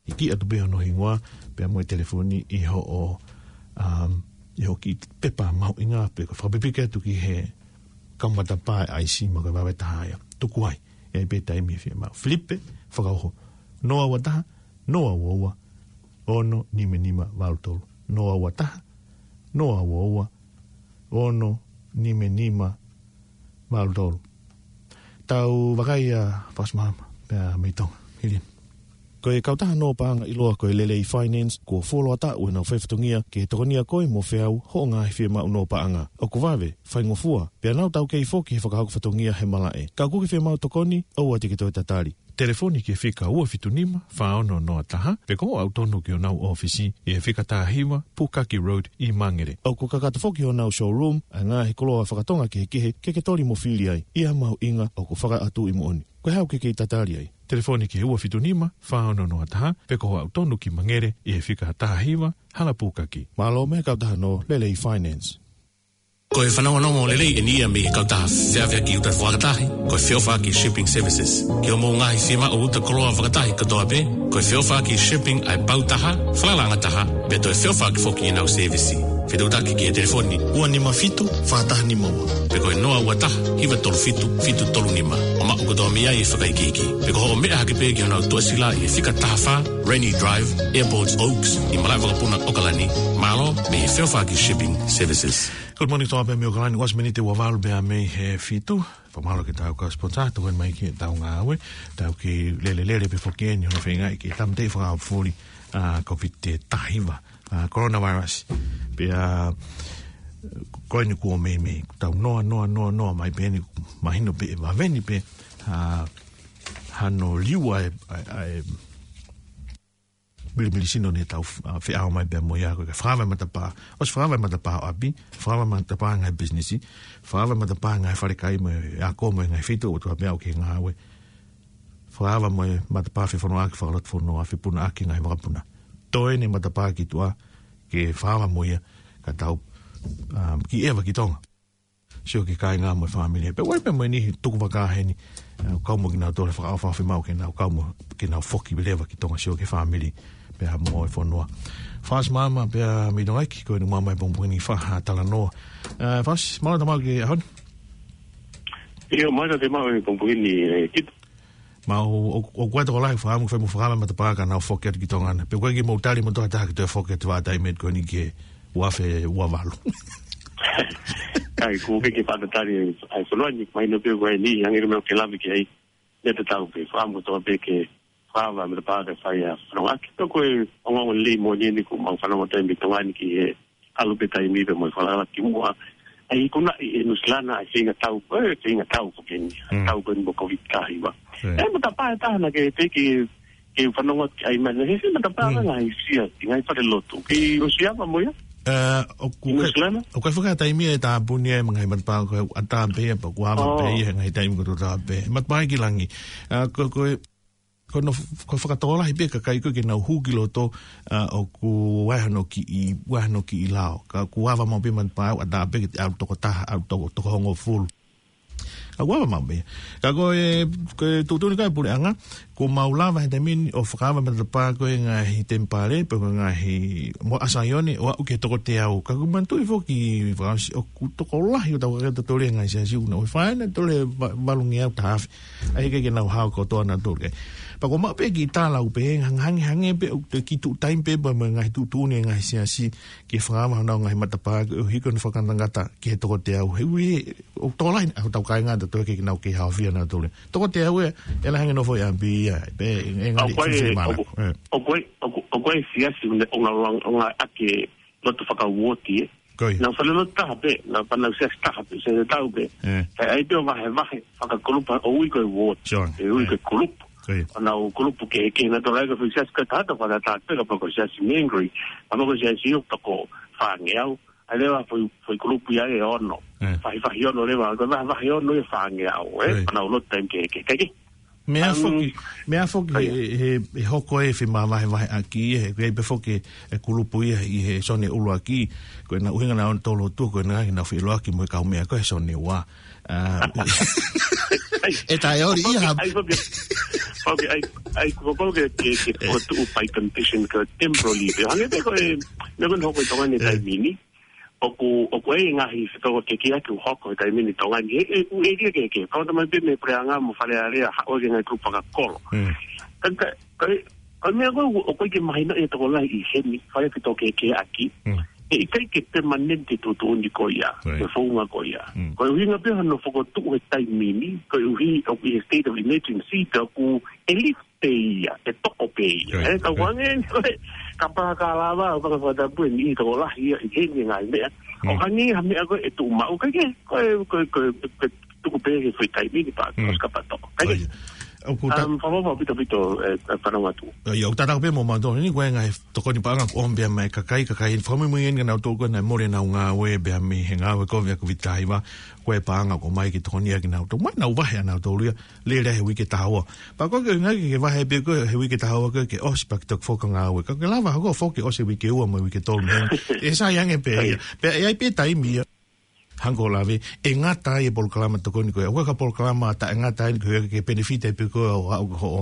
ʻIki atu pē hono hingoa pea mo e telefoni ʻi hoʻo, um, ʻi hoʻo kiʻi pepa mahuʻinga pē ko e fakapipiki atu ki he kau matapā ʻaisi mo e vave taha ia. Tuku ai, ʻe ʻi ai pē taimi fiemaʻu. Filipe Fakauho, noa ua taha, noa ua ua, ono nima nima valu tolu. Noa ua taha, noa ua ua, ono nima nima valu tolu. Tau vakai ʻa Fasimalama, pea mei Tonga. Hili. Ko e kautaha nō paʻanga ʻiloa ko e Lelei Finance, kuo fuoloa taʻu ʻenau faifatongia ke tokonia koe mo feau hoʻo ngaahi fiemaʻu nō paʻanga. ʻOku vave, faingofua, pea nau taukei foki he fakahoko fatongia he malaʻe. Ka ʻoku ke fiemaʻu tokoni, ʻoua te ke toe tatali. Telefoni ki he fika ua fitu nima, fā ono noa taha, pe ko hoʻo aʻu tonu ki honau ʻōfisi, ʻi he fika taha hiva, Pukaki Road, ʻi Mangere. ʻOku kakato foki honau showroom, ʻa e ngaahi koloa fakatonga kehekehe, ke ke toli mo fili ai, ʻi ha mahuʻinga ʻoku fakaʻatu ʻi moʻoni. Ko e hā ʻoku ke kei tatali ai? Telefoni ki he ua fitu nima, fā ono noa taha, pe ko hoʻo aʻu tonu ki Mangere, ʻi he fika taha hiva, Hala Pukaki. Mālō mei he kautaha nō Lelei Finance. Ko e fanongonongo lelei eni ia mei he kautaha feʻaveʻaki uta fakatahi, ko e Feʻofaʻaki Shipping Services. Ki hoʻomou ngaahi fiemaʻu uta koloa fakatahi kotoa pē, ko e Feʻofaʻaki Shipping ʻa e pau taha, falalaʻanga taha, pea toe feʻofaʻaki foki ʻenau sēvisi. Fetuʻutaki ki he telefoni ua nima fitu, fā taha nima ua. Pe ko e noa ua taha, hiva tolu fitu, fitu tolu nima. ʻO maʻu kotoa mei ai e fakaikiiki. Pe ko hoʻo meʻa hake pē ki honau tuʻasila ʻi he fika taha fā, Rennie Drive, Airport Oaks, ʻi Malaʻevakapuna, ʻAokalani. Mālō mei he Feʻofaʻaki Shipping Services. Good morning, tō pē mei ʻAokalani, ua miniti ua valu pea mei he fitu. Fakamālō ki he tau kau sponsor, tokoni mai ki heʻetau ngāue, tau kei lelelele pē foki eni, hono feingaʻi ke tāmateʻi fakaʻaufuli, ʻa, COVID taha hiva, ʻa, coronavirus. Pea, ko eni kuo meimei, tau noa, noa, noa, noa, mai pē eni, mahino pē, ʻe vave ni pē, ʻa, hano liu ʻa e, ʻa e, ʻa e, milimili sino ne tau, ʻa, feʻao mai pea mo ia ko e fakaava e matapā. ʻOsi fakaava e matapā ʻo ʻapi, fakaava e matapā ngaahi pisinisi, fakaava e matapā ngaahi falekai mo e ako mo e ngaahi feituʻu ʻoku tau pea ʻoku ke ngāue. Fakaava mo e matapā fefonua ʻaki fakalotofonua, fepuna ʻaki ngaahi vakapuna. Toe eni e matapā ki tuʻa ke fakaava mo ia ka tau, ʻa, kiʻi ʻeva ki Tonga. Sio ki he kāinga mo e fāmili. Pea ʻoku ʻi ai pē mo e niʻihi tukuvakā heni, ʻa, kau mo kinautolu he fakaʻofoʻofa fiemaʻu ke nau kau mo, ke nau foki leva ki Tonga sio ki he fāmili. Pea mo e fonua. Fasimalama pea mei Tonga ʻEiki, ko eni māmā e pongipongi ni fā ha talanoa. ʻA, Fasi, mālō e tau maʻu ki he ʻaho ni. ʻIo, mālō e tau maʻu e pongipongi ni, ʻe, Kito. Mau, ʻo, ʻoku ʻi ai e tokolahi fakaʻamu ke fai mo fakaava e matapā ka nau foki atu ki Tonga na. Pe ʻoku ʻikai ke mou tali mo toa taha ke toe foki atu ʻa e taimi ko eni ki he ua afe ua valu. ʻIkai, ʻoku ʻikai ke fakatatali ʻa e fonua ni, mahino pē ko eni, hangē ko e meʻa ʻoku ke lave ki ai. Meʻa tatau pē, fakaʻamu kotoa pē ke fakaava e matapā kae fai ʻa e fononga. Ka ko e ongoongo lelei moʻoni eni ʻoku mau fanongo atu ai mei Tonga ni ki he ʻalu pē taimi pea mo e falala ki muʻa. ʻA ia ʻoku ʻi ai ʻi Nuʻusila ʻa e feinga tau, ʻe, feinga tau ko eni. Mm. Tau ko eni mo e COVID taha hiva. Mm. ʻE, matapā ʻe taha naʻa ke teʻeki ke fanongo ki ai mai, he, he matapā Mm. ngaahi siasi, ngaahi falelotu. Kei ʻosi ava mo ia? ʻE, ʻoku ʻI Nuʻusila? ʻIkai, ʻoku ʻikai fakaʻatā taimi ʻe tāpuni ai mo e ngaahi matapā ko e ʻatā pē ia, pea kuo ava Oh. pē ia, ngaahi taimi ko e tō tā pē. Matapā ki langi. ʻE, ko, ko e, ko hono f-, ko e fakatokolahi pē kakai ko ē ke nau hū ki loto, ʻa, ʻoku ʻi ai hano kiʻi, ʻi ai hano kiʻi lao. Ka kuo ava maʻu pē matapā ʻatā pē ke te ʻalu toko taha, ʻalu toko, toko hongofulu. Ka kuo ava maʻu pē. Ka ko e, ko e tuʻutuʻuni ko ē ʻa e puleʻanga, kuo mau lava he taimi ni ʻo fakaava e matapā ko ē ngaahi temipale, pe ko e ngaahi mo ʻa Saione, ʻo aʻu ki he toko teau. Ka ʻoku ou manatuʻi foki, Fasi, ʻoku tokolahi ʻo tau kakai ʻoku tau toli e ngaahi siasi ʻoku nau ʻosi fai ʻenau toli e va-, valungeau taha afe. ʻA ia ʻikai ke nau hao kotoa nautolu. Pea kuo maʻu pē kiʻi tala ʻoku pehē hangē, hangē pē ʻoku toe kiʻi tuʻu taimi pē pea mo e ngaahi tuʻutuʻuni e ngaahi siasi ke fakaava honau ngaahi matapā, ʻo hiko ʻenau fakangatangata ki he toko teau. He ʻoku ʻi ai, ʻoku tokolahi ʻa hotau kāinga ʻoku tau toli ʻoku nau kei haofia nautolu. Toko teau ē, ʻe lahi ange ʻenau foʻi ʻapi ia, pea ʻe ngali ʻOku ʻi ai, fuʻu mana. ʻOku, ʻE. ʻoku ʻi ai, ʻoku, ʻoku ʻi ai e siasi ʻoku nau, ʻoku nau, ʻoku nau ʻi ai e lotu fakauooti ē. Ko ia. Nau falelotu taha pē, nau fai ʻenau siasi taha pē, siasi taha pē. ʻE. He ʻe ʻi ai pē ʻo vahevahe fakakulupu ʻo ui ko e uooti. Sure. ʻE ui ʻE. ko e kulupu. Ko ia. ʻO nau kulupu kehekehe nautolu ai ko e foʻi siasi ko e taha ʻoku fakatatau pē kapau ko e siasi Mangere. Kapau ko e siasi ʻoku toko fāngeau. ʻA ia leva foʻi, foʻi kulupu ia ʻe ono. ʻE. Vahevahe ono leva, ko e vahevahe ono ʻe fāngeau, ē? Ko ia. ʻOku nau lotu taimi kehekehe. Kae kehe. Meʻa Um, foki, meʻa foki ko ia. he, he, he hoko e femavahevaheʻaki, he, he pē foki e kulupu ia ʻi he sone ʻuluaki, ko ʻenau ʻuhinga naʻa nau tolo tu, ko ʻenau ngaahi nau feʻiloaki mo e kaumeʻa ko e sone ua. ʻA, ʻE taʻeoli ia ha- ʻAi foki, foki, ʻai, ʻai, ko, ko, ke, ke, ke ʻE. fokotuʻu by condition ko e temporary. Pea hangē pē ko e, meʻa ko eni hoko ʻi Tonga ni ʻE. taimi ni. ʻoku, ʻoku ʻi ai e ngaahi fetoko kehekehe ʻoku hoko he taimi ni ʻi Tonga ni. He, he, ʻoku ʻi ai e kehekehe. Kau tamai pē mei he Puleʻanga mo Fale Alea, haʻu e ngaahi kulupu fakakolo. Mm. Ka, ka, ka, ka meʻa ko ē, ʻoku ʻikai ke mahino ʻe he tokolahi ʻi heni, fai e fetoko kehekehe ʻaki. Mm. He ʻikai ke permanent e tuʻutuʻuni ko ia, Right. e founga ko ia. Mm. Ko e ʻuhinga pē hono fokotuʻu he taimi ni, koeʻuhi ʻoku ʻi he state of emergency, ka ʻoku ʻe lift pē ia, ʻe toko pē ia. Right, E, ka right. kuange, ko e, kapau ka lava, ʻo ka fakatapu ʻe niʻihi tokolahi ia, ʻi heni ngaahi meʻa. ʻO Mm. hangē ha meʻa ko ē ʻe tuʻu maʻu, ʻikai ke, ko e, ko e, ko e, ko e tuku pē he foʻi taimi ni pea, Mm. ʻosi kapau toko. ʻIkai ke, Right. ʻOku ta- um, fakaʻofoʻofa ʻaupito, ʻaupito, ʻe, ʻe, fanongo atu. ʻIo, ʻoku tatau pē mo mautolu ni, ko e ngaahi tokoni paʻanga ʻoku ʻomi pē mei he kakai, kakai, fakamuimui eni kia nautolu ko ē naʻe mole ʻenau ngāue, pea mei he ngāue ko ia ʻa e Kōviti taha hiva, ko e paʻanga ʻoku ʻomai ki he tokoni ʻaki kinautolu. Mo ʻenau vahe ʻanautolu ia, lele he uike taha ua. Pea ko e ʻuhinga ke vahe pē ko ē he uike taha ua ko ē ke ʻosi pea ke toki foki ki he ngāue. Ka ke lava hoko foki ʻosi uike ua mo uike tolu mei heni. ʻE sai ange pē ia. Pea ʻe ʻi ai pē taimi ia. Hangē ko e lave, ʻe ngata ai e polokalama tokoni ko ē. ʻOku ʻi ai e polokalama taʻengata ai ko ē ke benefit ai pē koe ʻo aʻu ki hoʻo,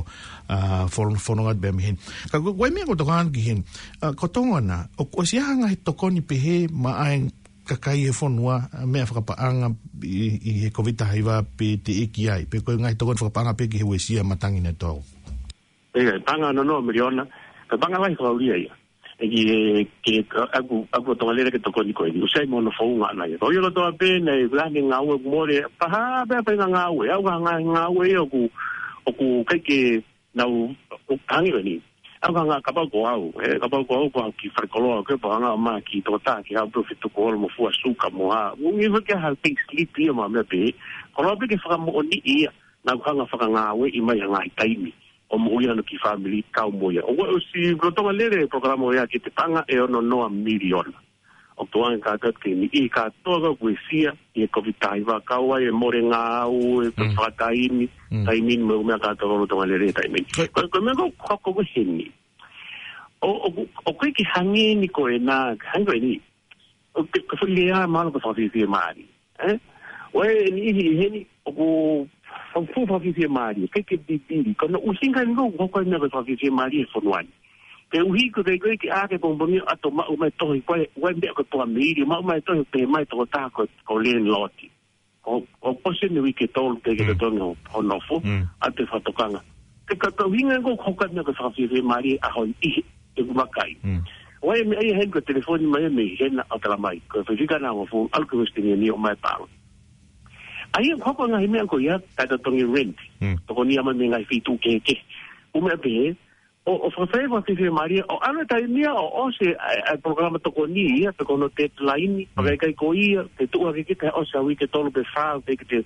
ʻa, fon-, fononga pē mei heni. Ka ko, ko e meʻa ʻoku ou tokanga ki heni. ʻA, ko Tonga na, ʻoku ʻosi ʻi ai ha ngaahi tokoni pehē maʻa e kakai he fonua, ʻa, meʻa fakapaʻanga ʻi, ʻi he Kōviti taha hiva pe teʻeki ai. Pe ko e ngaahi tokoni fakapaʻanga pē ki he uesia matangi ʻa e tau. ʻE, paʻanga noa noa miliona, ka paʻanga lahi fakaulia ia. ʻE ki, ʻe, ke, ka, ʻaku, ʻaku ʻo Tonga Lele ke tokoni ko eni, ʻoku sai mo hono founga ʻana ia. Ko ia kotoa pē, naʻe ʻi ai e ngāue ʻoku mole, pea hā pē, pea ngāue, ʻa e ngaahi ngāue ia ʻoku, ʻoku ʻikai ke nau, ʻo hangē ko eni. ʻA e ngaahi kapau ko au, ʻe, kapau ko au, ko au ki falekoloa, ko e paʻanga ma ki tokotā, ki ha pē fetuku ʻo mo fua suka mo ha. ʻOku ngi fake ha pink slip ia mo e meʻa pehē. Koloa pē ke fakamoʻoni ia, naʻa ku hanga ʻo fakangāueʻi mai ha ngaahi taimi ʻo moʻui ʻana ki he fāmili kau mo ia. ʻOku ʻosi lolotonga lele e polokalama ia ki he paʻanga ʻe ono noa miliona. ʻOku tuʻunga kātoa ki he niʻihi kātoa ʻoku uesia ʻi he Kōviti taha hiva, kau ai e mole ngāue, e Mm. fakataimi, Mm. taimi ni mo e ʻū meʻa kātoa lolotonga lele he taimi ni. Ko- Ko, ko e meʻa ko ē ʻoku hoko ko ē heni. ʻO, ʻo, ʻoku ʻikai ke hangē ni ko ena, hangē ko eni. ʻO ke, ke foʻi lea mālō ko e fakafiefiemālie. ʻE? ʻO e niʻihi ʻi heni, ʻoku fakafuʻu fakafiefiemālie, ʻikai ke pipili. Ko hono ʻuhinga eni ʻoku hoko ai e meʻa ko e fakafiefiemālie he fonua ni. Koeʻuhi ko e ʻikai ko ē ke ʻā ke pongipongi ʻo ʻalu ʻo maʻu mai tohi ko ē, ʻo e meʻa ko e poameili, maʻu mai tohi pē mai toko taha ko, ko e landlord. ʻO, ʻo pose ni uike tolu ke ke Mm. totongi ʻo, ʻo nofo, Mm. ʻa e fakatokanga. Ke ka, ka ʻuhinga ʻoku hoko ai e meʻa ko e fakafiefiemālie ʻa hono ʻi he, ʻeku vakai. Mm. ʻO e meʻa ia heni ko e telefoni mai mei hena ʻo tala mai, ko e faifekau naʻe hongofulu, ʻalu ki Western Union ʻo ʻomai e palo. ʻA ia ʻoku hoko e ngaahi meʻa ko ia, kae totongi rent. Mm. Tokoni ia mai mei he ngaahi feituʻu kehekehe. ʻŪ meʻa pehē, ʻo, ʻo fakafeʻao fakafiefiemālie, ʻo ʻalu e taimi ia, ʻo ʻosi e, e, e polokalama tokoni ia, pe ko hono deadline, Mm. pea ʻikai ko ia, ke tuʻu hake kita ʻosi ʻa e uike tolu pe fā, pe ke te,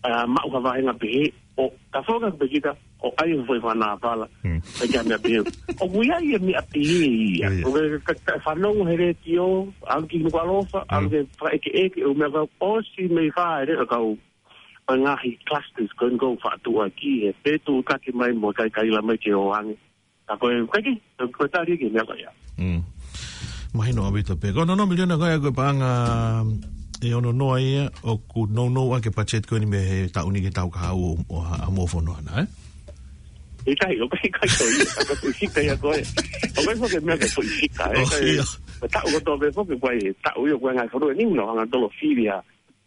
ʻa, maʻu ha vāhenga pehē, ʻo, ka foka pe kita, ʻo ʻai e foʻi fana fala, Mm. pe ke meʻa pehē. ʻOku ʻi ai e meʻa pehē ia. Ia, ia. ʻO ke, ka, ka fanongo he letiō, ʻalu ki Nukuʻalofa, ʻalu Mm. ke fakaʻekeʻeke, ʻū meʻa ka ʻosi mei fā, e lea kau, ʻo e ngaahi clusters ko eni ʻoku faʻa tuʻu ʻaki, ʻe pē tuʻu taki mai mo kaikaila mai ke ʻoange. Ka ko e, ko e ki, ko e tali ki he meʻa ko ia. Mm. Mahino ʻaupito pē. Ko e ono noa miliona ko ia ko e paʻanga ʻe ono noa ia ʻoku nounou ʻaki e budget ko eni mei he taʻu ni ki he taʻu kahaʻu ʻo, ʻo ha, ha mo fono ana, ē? ʻIkai, ʻoku ʻikai ko ia, ka ko e foʻi fika ia ko ē. ʻOku ʻikai foki e meʻa ko e foʻi fika, ē? ʻO, Ka e, ia. ko e taʻu kotoa pē foki, ko e taʻu ia, ko e ngaahi fonua ni, nau hanga ʻo tolo fili ʻa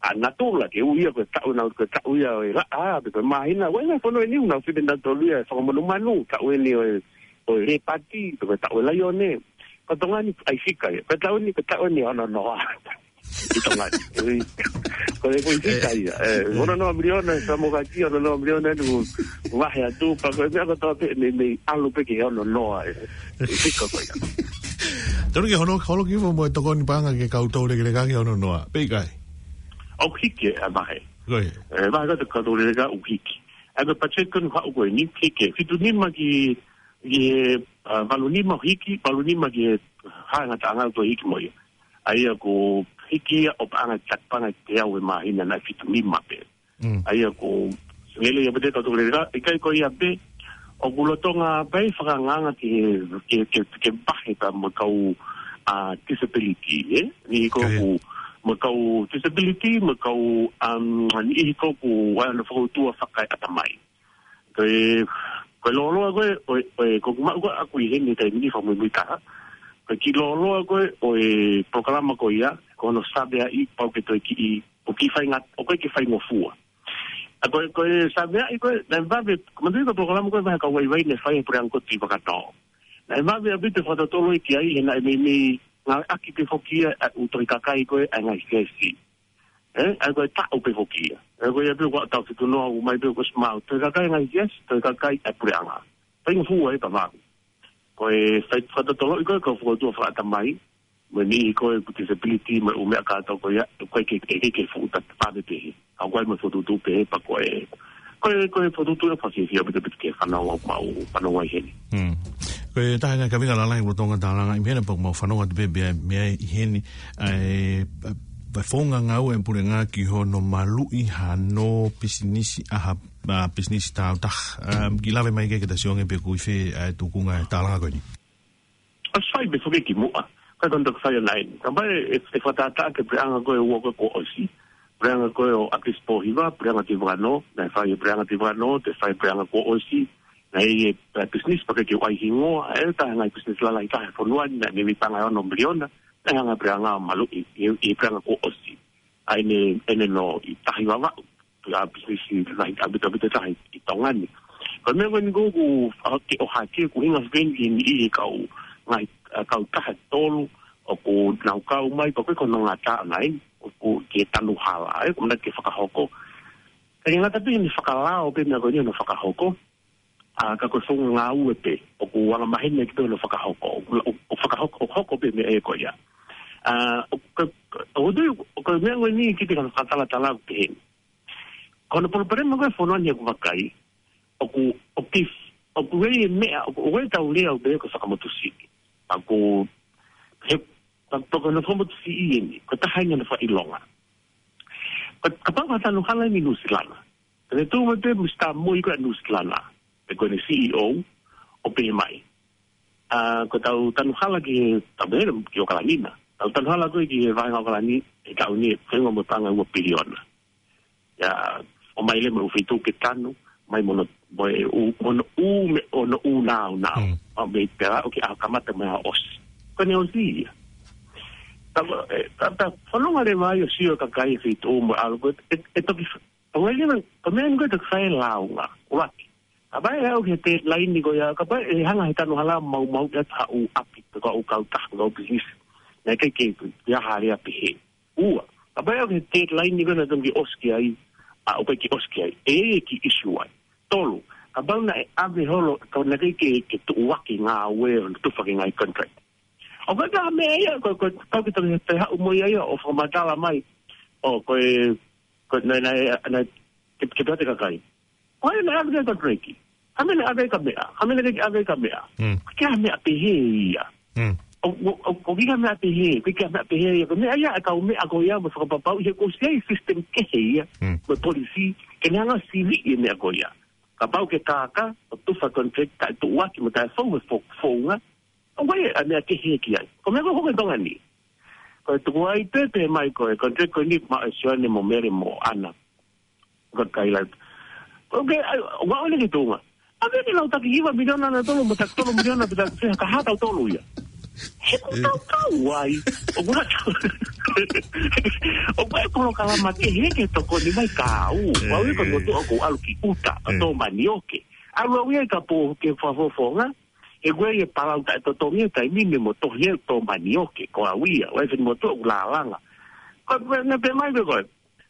ʻa natula ke ui ia ko e taʻu na, ko e taʻu ia ʻo e laʻā, pe ko e māhina, ʻo e ngaahi fonua ni, nau fili natula ia, fakamanumanu, taʻu eni ʻo e, ʻo e lēpati, pe ko e taʻu ʻo e laione. Ko Tonga ni ʻai fika ia, ko e taʻu ni, ko e taʻu eni ʻe ono noa. ʻI Tonga ni. Ui. Ko e, ko e fika Eh. ia. Eh, Eh. ono noa miliona, sa mo ka ki ono noa miliona, ʻoku vahe atu, pea ko e meʻa kotoa pē, mei, mei ʻalu pē ki he ono noa, eh. Fika ko ia. Tonu ke holo, holo ki fo mo e tokoni paʻanga ki he kau toulekeleka ki he ono noa. Pe ʻikai? ʻOku hiki e vahe. Ko ia. E, vahe ko e kau toulekeleka ʻoku hiki. ʻA ia ko e budget ko eni haʻu ko eni, hiki e fitu nima ki, ki he, ʻa, valu nima hiki, valu nima ki he hā ngataʻanga ko e hiki mo ia. ʻA ia ko e hiki ia ʻo paʻanga taki paʻanga ʻe teau he māhina naʻe fitu nima pē. Mm. ʻA ia ko e lele ia pē te kau toulekeleka, ʻikai ko ia pē, ʻoku lolotonga pē fakangaanga ke, ke, ke, ke vahe ka mo e kau, ʻa, disability, ē? Niʻihi ko ē Ko ia. ʻoku, mo e kau disability, mo e kau, um, niʻihi ko ē ʻoku ʻi ai hono fakautua fakaeʻatamai. Ko e, ko e lōloa ko ē, ʻo e, ʻo e, ko ʻeku maʻu ko ē ʻaku ʻi heni he taimi ni fakamuimui taha. Ko e kiʻi lōloa ko ē ʻo e polokalama ko ia, ko hono saveaʻi pau ke toe kiʻi, ʻoku kiʻi fainga-, ʻoku ʻikai ke faingofua. ʻA ko e, ko e saveaʻi ko ē, naʻe vave, ko e manatuʻi ko e polokalama ko ē vahe kau vaivai naʻe fai ʻe he puleʻanga ko ē ʻi Vakatao. Naʻe vave ʻaupito fakatotolo ki ai, he naʻe meimei ngāueʻaki pē foki ia ʻa e ʻū tohi kakai ko ē ʻa e ngaahi siasi. ʻE, ʻa ia ko e taʻu pē foki ia. ʻE, ko ia pē ʻoku tau fitu noa ʻoku ʻomai pē ʻoku ʻosi maʻu. Tohi kakai ngaahi siasi, tohi kakai ʻa e puleʻanga. Faingofua ē pea vave. Ko e fai-, fakatotoloʻi ko ē kau fokotuʻu fakaʻatamai, mo e niʻihi ko ē ʻoku disability, mo e ʻū meʻa kātoa ko ia, ko e ke, ke, ke, ke fuʻu ta-, vave pē ē. ʻA ko e mo e fokotuʻutuʻu pē ē pea ko e, ko e, ko e fokotuʻutuʻu ʻoku fakafiefia ʻaupito ʻaupito ki he fanongo ʻoku mau fanongo ai heni. Hmm. Ko e taha e ngaahi kaveinga lalahi ʻoku tau tālanga ʻi heni pea ʻoku mau fanongo atu pē mei ai, mei ai ʻi heni, ʻa e, ʻa e founga ngāue ʻa e puleʻanga ki hono maluʻi hano pisinisi ʻa ha, ʻa, pisinisi tāutaha. Um, kiʻi lave mai ke ke tasi onge pe ʻoku ʻi fē ʻa e tuʻunga e tālanga ko eni. ʻOsi fai pē foki kimuʻa. Ka ko e toki fai ʻanai. Ka mai e, e fakatātā ki he puleʻanga ko ē ua ko ē kuo ʻosi. Puleʻanga ko ē ʻo ʻAkilisi Pōhiva, puleʻanga Tuʻi Vakanō, naʻe fai e puleʻanga Tuʻi Vakanō, toe fai e puleʻanga kuo ʻosi. Naʻe ʻi ai e, e pisinisi pea ʻikai ke u ʻai hingoa, ʻe taha e ngaahi pisinisi lalahi taha he fonua ni, naʻe meimei paʻanga ʻe ono miliona, naʻe hanga ʻe he puleʻanga ʻo maluʻi, ʻi, ʻi he puleʻanga kuo ʻosi. ʻA eni, ʻeni nō ʻi Tahi Vavaʻu, ʻa e pisinisi lahi ʻaupito ʻaupito taha ʻi Tonga ni. Ko e meʻa ko eni ʻoku, ʻoku, ʻoku ke ʻohake, ʻoku ʻuhinga foki eni ki he niʻihi kau, ngaahi, ʻa, kautaha ʻe tolu, ʻoku nau kau mai, pea ko e konga ngata ʻanai, ʻoku ke tanu hala, ʻe, ʻoku manatu ke fakahoko. Ka ʻi he ngata pē ʻene fakalao pē meʻa ko eni hono fakahoko, ʻa, ka ko e founga ngāue pē, ʻoku anga maheni ʻaki pē hono fakahoko, ʻo, ʻo, ʻo fakahoko, ʻo hoko pē meʻa ē ko ia. ʻA, ʻo, ka, ka, ʻo tui, ʻo ka meʻa ko eni kiʻi te kau fakatalatala ʻoku pehē ni. Ko hono palopalema ko ē fonua ni ʻoku vakai, ʻoku, ʻoku kif-, ʻoku ʻi ai e meʻa, ʻoku, ʻoku ʻi ai e tau lea ʻoku pehē ko e fakamotusiʻi. ʻOku, he, ka, ka ko hono fakamotusiʻi eni, ko e taha eni hono fakaʻilonga. Ka, kapau ko ha tanu hala eni ʻi Nuʻusila na. Ka te tuʻu mai pē Misitā Moi ko ē ʻa Nuʻusila na. Pea ko ʻene C E O, ʻo pehē mai. ʻA, ko ʻetau tanu hala ki he, tau pehē ki ʻAokalani na. Tau tanu hala ko ē ki he vāhenga ʻAokalani, he taʻu ni, fengo mo paʻanga ua piliona. ʻIa, ʻomai leva mo e ʻū feituʻu ke tanu, mai mo hono, mo e ʻū, mo hono ʻū meʻa, hono ʻū nāunau. Mm. ʻO mei pē ʻo ke ʻaho kamata mo e ʻaho ʻosi. Ko ʻene ʻosi ia. Ta, e, ta, ta, fanongo leva ai ʻo sio e kakai e feituʻu mo e ʻalu ko ē, e, e toki, ʻo ngai leva, ko e meʻa ni ko ē toki fai e lāunga, ʻuluaki. Kapau ʻe aʻu ki he deadline ko ia, kapau ʻe hanga ʻe he tanu hala ʻo maumauʻi ʻa e ʻū ʻapi, ko e ʻū kautaha, ko e ʻū pisinisi. Naʻe ʻikai ke, ke ʻi ai ha lea pehē. Ua, kapau ʻe aʻu ki he deadline ko ē naʻe totonu ke ʻosi ki ai, ʻa, ʻoku ʻikai ke ʻosi ki ai. ʻE, ʻe kiʻi ʻisiū ai. Tolu, kapau naʻe ʻave holo, ka naʻe ʻikai ke, ke tuʻuaki e ngāue ʻo tufa ki he ngaahi contract. ʻOku ʻikai ha meʻa ia, ko, ko, kau ke tau he, he haʻu mo ia ia, ʻo fakamatala mai. ʻO, ko e, ko, naʻe, naʻe, naʻe, ke, ke pehē atu e kakai. Ko e meʻa ʻave ki ai e contract. Ko e meʻa naʻe ʻave ki ai e meʻa. Ko e meʻa naʻe ʻikai ke ʻave ki ai e meʻa. Mm. ʻIkai ha meʻa pehē ia. Mm. ʻO, ʻo, ʻo, ʻoku ʻikai ha meʻa pehē, ʻikai ha meʻa pehē ia. Ko e meʻa ia ʻa e kau meʻa ko ia mo fakapapauʻi he kuo ʻosi ʻi ai e system kehe ia. Mm. Mo e policy, ke ne hanga ʻo siviʻi e meʻa ko ia. Kapau ke kākā, ʻo tufa e contract, taʻe tuʻuaki mo taʻe fou e fo-, founga, ʻoku ʻi ai e meʻa kehe ki ai. Ko e meʻa ko ē ʻoku hoko ʻi Tonga ni. Ko e tuku ai pē pehē mai ko e contract ko eni maʻa Sione mo Mele mo ʻAna. Ko e kaila. ʻOku ʻi ai, ʻoku ʻalu ki Tonga. ʻAve ke lau taki hiva miliona nautolu mo taki tolu miliona pē taki fē ka hā tautolu ia. He ʻoku tau kau ai. ʻOku ʻi ai, ʻoku ʻi ai e polokalama kehe ke tokoni mai ka au. ʻOku ʻi ai ko e motuʻa ʻoku ʻalu ki ʻuta, ka tō manioke. ʻAlu au ia ʻi ka pō ke fakafofonga. He ko e palau taʻetotongi e taimi ni mo tohi e tō manioke, ko au ia, ʻoku ʻi ai e fini motuʻa ʻoku lālanga. Ko e, ne pehē mai pē ko e,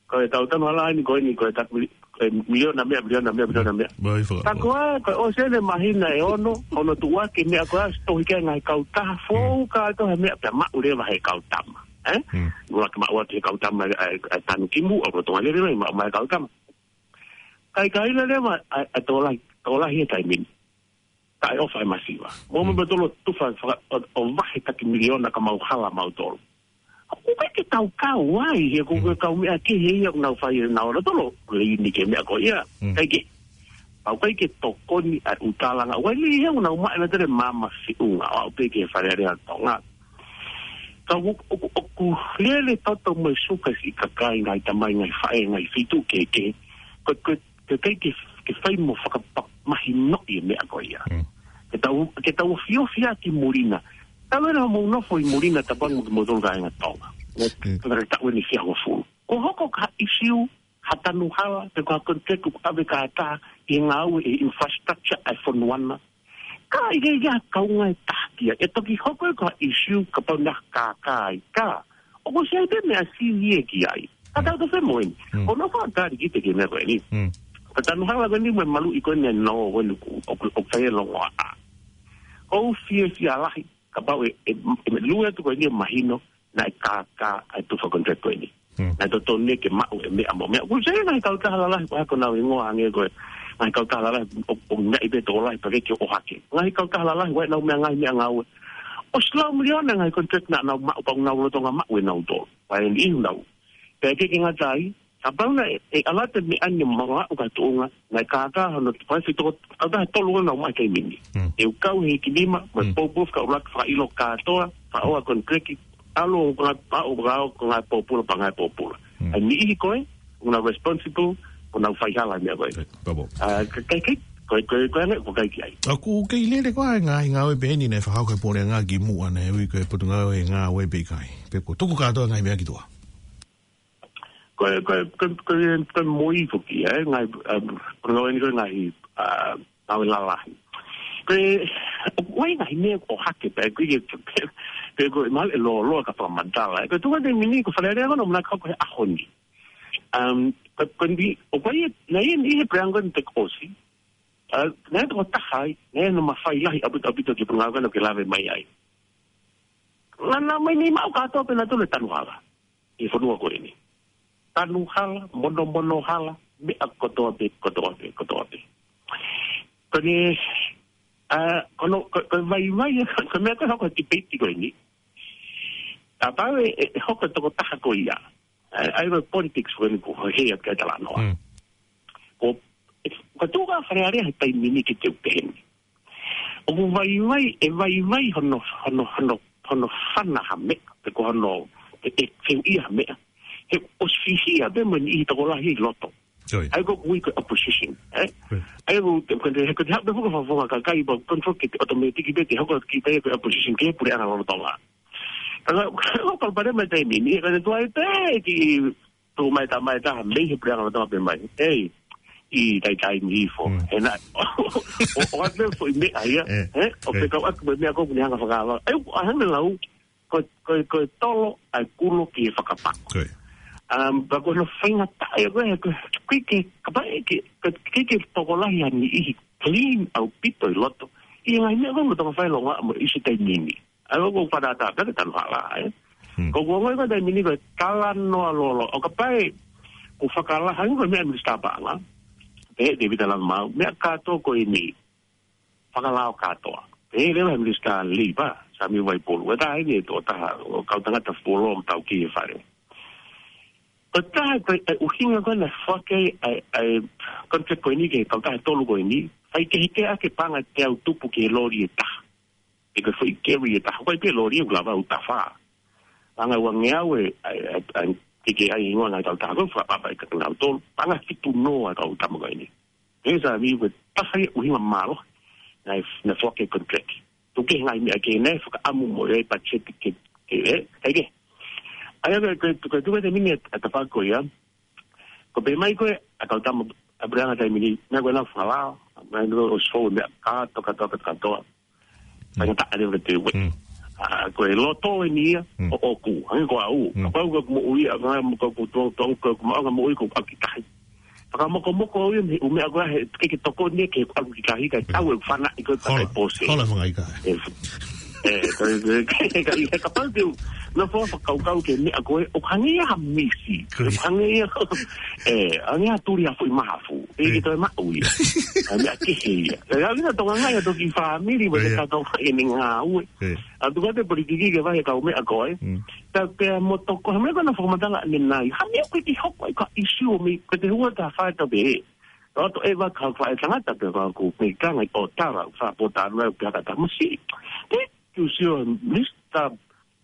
ko e tau tanu hala ni ko eni ko e taki mili-, ko e miliona meʻa, miliona meʻa, miliona meʻa. Mai faka-, ka ko ā, ko e ʻosi eni e māhina ʻe ono, hono tuʻuaki e meʻa ko ā, tohi ki ai e ngaahi kautaha, fou kātoa e meʻa pea maʻu leva ʻe he kau tama. Ē? Mm. Muʻa ke maʻu atu ʻe he kau tama, ʻa, ʻa, ʻa Tanu Kimu, ʻa Rotonga Lele mai, maʻu mai e kau tama. Kaikaila leva, ʻa, ʻa Tōlahi, Tōlahi e taimi ni. Taʻeʻofa e masiva. Mo, mm, mo tolo tufa faka-, ʻo, ʻo vahe taki miliona ka mau hala mautolu. ʻOku ʻikai ke tau kau ai, he ko, mm, e kau meʻa kehe ia ʻoku nau fai ʻe nautolu, leini ki he meʻa ko ia. Mm. ʻIkai ke, ʻoku ʻikai ke tokoni ʻa e ʻū tālanga. ʻOku ʻi ai leva ia ʻoku nau maʻu ʻenautolu e maama feʻunga, ʻo aʻu pē ki he Fale Alea ʻo Tonga. Ka ʻoku, ʻoku, ʻoku lele toto mo e suka siʻi kakai ngaahi tamai ngaahi faʻē ngaahi feituʻu kehekehe. Ko, ko, ke kai ke, ke fai mo fakapa-, mahinoʻi e meʻa ko ia. Mm. Ke tau, ke tau ofiofi ʻaki muli na. Talu ʻena hoʻomou nofo ʻi muli na tapu ange mo kimoutolu kāinga Tonga. Mo Mm. pea taʻu ʻeni ʻe fiha hongofulu. Ko e hoko ha ʻisiū, ha tanu hala, pe ko ha contract ʻoku ʻave kātoa ʻi he ngāue ʻa e infrastructure ʻa e fonua na. Ka ʻikai ke ʻi ai ha kaunga ʻe taha ki ai. ʻE toki hoko ia ko ha ʻisiū kapau naʻe kākā ai. Ka, ʻoku ʻosi ʻi ai pē meʻa sivi ia ki ai. Ka Mm. tau toki fai mo eni. Mm. ʻOku ou fakaʻamu ki he meʻa ko eni. Mm. Ko e tanu hala ko eni mo e maluʻi ko eni ʻo e nō ko eni ʻoku, ʻoku, ʻoku fai e longoaʻa. ʻOku ou fiefia lahi, kapau ʻe, ʻe, ʻe lue atu ko eni ʻo mahino, naʻe kākā ʻa e tufa contract ko eni. Mm. Naʻe totonu ia ke maʻu e meʻa mo e meʻa. ʻOku ʻi ai e ngaahi kautaha lalahi, ko e hā ko honau hingoa, hangē ko e ngaahi kautaha lalahi, ʻo, ʻo ngaahi pē tokolahi, pea ke ʻohake. Ngaahi kautaha lalahi, ʻoku ʻi ai ʻenau meʻa ngaahi meʻangāue. ʻOsi laui miliona ngaahi contract naʻa nau maʻu, pea ʻoku nau lolotonga maʻu ʻenau tolu. Pea ʻi ai e ʻuhinga. Pea ʻikai ke ngata ai, kapau naʻe, ʻe ʻalu atu e meʻa ni ʻo maʻu ki ha tuʻunga, naʻe kākā hono tufa, ʻe toko, kautaha ʻe tolu ʻoku nau maʻu he taimi ni. Mm. ʻE kau he hiki nima, mo e Mm. poupou fakaʻuluaki fakaʻilo kātoa, fakaʻosi contract, ʻalu ʻo ngāue, ʻo ngāue, ʻo ngāue pōpula, pea ngāue pōpula. Mm. ʻA e niʻihi ko ē, ʻoku nau responsible, ʻoku nau faihala meʻa ko ē. Eh, pabo. ʻA, ka, ka, ka, ko e, ko e, ko e anga, ʻoku ʻikai ke ʻi ai. ʻOku kei lele koā e ngaahi ngāue pehē ni naʻe fakahoko ʻe he puleʻanga kimuʻa naʻe ui ko e Potungāue Ngāue pe ʻikai. Pe kuo tuku kātoa e ngaahi meʻa ki tuʻa. Ko e, ko e, ko e, ko e, ko e mui foki, ē, ngaahi, um, ko e ngāue ni ko e ngaahi, uh, ngāue lalahi. Ko e, ʻoku ʻi ai ngaahi meʻa ʻoku ʻohake pē, ʻikai ke, pe ko e mahalo ʻe lōloa ka fakamatala, ē. Ko e tuʻunga he taimi ni ko e Fale Alea ko ē naʻa nau manako ki ai he ʻaho ni. Um, ko, ko e ni, ʻoku ʻi ai, naʻe ʻi ai e niʻihi he puleʻanga ni naʻe toki ʻosi. Uh, naʻe tokotaha ai, naʻe ʻi ai hono mafai lahi ʻaupito, ʻaupito ki he ngāue ko ē naʻa ke lave mai ai. Naʻa, naʻa nau ʻomai ni maʻu kātoa pē nautolu e tanu hala ʻi he fonua ko eni. Tanu hala, monomono hala, meʻa kotoa pē, kotoa pē, kotoa pē. Ko eni, ā, ko hono, ko, ko e vaivai, ko e meʻa ko ē hoko he tipeiti ko eni. Kapau ʻe, ʻe, ʻe hoko e tokotaha ko ia. Ā, ʻa ia ko e politics ko eni ʻoku hē atu ki ai e talanoa. Mm. Ko, ko e tuʻu ko ē ʻa e Fale Alea he taimi ni ke te u pehē ni. ʻOku vaivai, ʻe vaivai hono, hono, hono, hono fana ha meʻa, pe ko hono, ʻe, ʻe feuʻia ha meʻa. He ʻosi fihia pē mo e niʻihi tokolahi ʻi loto. Oi. ʻA ia ko ē ʻoku ui ko e opposition, ē? Oi. ʻA ia ko e, ko e, ko e, ko e, ko e, ko e, ko e, ko e, ko e, ko e automatic pē te hoko kita ia ko e opposition ki he puleʻanga lolotonga. Ka, ka, ka, ka, palopalema he taimi ni, ka ne tuai pē ki tuʻu mai tamai taha mei he puleʻanga lolotonga pē mai. Ei, ʻi taitai ni hifo. Mm. He naʻe, ʻo, ʻo, ʻo atu foʻi meʻa ia, Eh, ē? ʻO eh. fekau atu mo e meʻa ko ē ʻoku ne hanga fakaava. Ē, ʻa hanga lau, ko, ko, ko e tolo ʻa e kulo ki he fakapako. Ko e. Um, pea ko hono faingataʻa ia ko ē, ko e, ko e ke, kapau ʻe ke, ko e ke, ke tokolahi ha niʻihi clean ʻaupito ʻi loto. ʻI he ngaahi meʻa ko ē mo tonga fai longoaʻa mo e ʻisi taimi ni. ʻA ia ʻoku ou fakatātā pē ki he tanu hala, ē. Hmm. Ko ʻeku ongoʻi ko e taimi ni ko e talanoa lōloa. ʻO kapau ʻe, ʻoku fakalahi ange ko e meʻa Minisitā Paʻanga. Pehē ʻe Tēvita Lātūmāʻau, meʻa kātoa ko eni. Fakalao kātoa. Pehē leva ʻe he Minisitā Leipa, Sāmiu Vaipulu. ʻE taha eni e tokotaha, ʻo kau tangata fuoloa mo tau ki he fale. Ko e taha ko e, e ʻuhinga ko ē naʻe foaki ai, ʻa e, ʻa e contract ko eni ki he kautaha ʻe tolu ko eni, fai kehekehe ʻa e paʻanga ʻe teau tupu ki he loli ʻe taha. Pe ko e foʻi carry ʻe taha, ko e pē loli ʻoku lava ʻo tafa. Paʻanga ʻe uangeau ē, ʻa e, ʻa e, ʻa e, ke ke ʻai hingoa ngaahi kautaha ko ē, fakapapa ʻe kinautolu, paʻanga fitu noa e kau tama ko eni. He Sāmiu ko e taha ia ʻuhinga mālohi, naʻe, naʻe foaki e contract. Tuku kehe ngaahi meʻa kehe naʻe fakaʻamu mo e patiseti ke, ke, ē, ʻikai ke. ʻA ia ko e, ko e, ko e tuku e taimi ni ʻa e tafaʻaki ko ia. Ko e pehē mai ko ē, ʻa e kau tama, ʻa e puleʻanga taimi ni, meʻa ko ē naʻa nau fakalao, meʻa ko ē ʻosi fou e meʻa kātoa, kātoa, kātoa, kātoa. Faingataʻa leva ke te ue. Mm. ʻA, ko e loto eni ia, Mm. ʻo ʻoku, hangē ko au. Mm. Kapau ko ʻeku moʻui, ʻa, ko ʻeku tuʻu, tuʻu, ko ʻeku maʻu ʻa e moʻui ko ʻeku ʻaki tahi. Fakamokomoko au ia, mei he ʻū meʻa ko ē, he, ke, ke tokoni ia, ke ʻalu ki tahi, kae Mm. tau e fana, ʻi ko e Hola, takai pō se. hola fanga ika. E, e, ka, ka, ka, ka, kapau te u, nofo fakakaukau ki he meʻa ko ē, ʻoku hangē ia ha misi. Ko ia. ʻOku hangē ia, e, hangē ha tuli ha foʻi mahafu. ʻE, ʻIkai ke toe maʻu ia. ʻA e meʻa kehe ia. ʻE, ʻa ia ʻoku ʻi ai e Tonga ngai ʻa e toki fāmili, mo e ʻIkai. kātoa ʻi he ngāue. ʻIkai. ʻA tuku atu e politiki ki he vahe kau meʻa ko ē. Mm. Ta pea mo toko, ha meʻa ko ē naʻa fakamatala ʻanenai. Ha meʻa ko ē ʻikai ke hoko ai ha ʻisiū mei, ko e te hua ta fai ta pē. Ka ʻoto e vaka fai tangata pē ka ko mei kanga ʻo tara, fa po tara, pea ka tamasi. Te, kiu sio, Minisitā,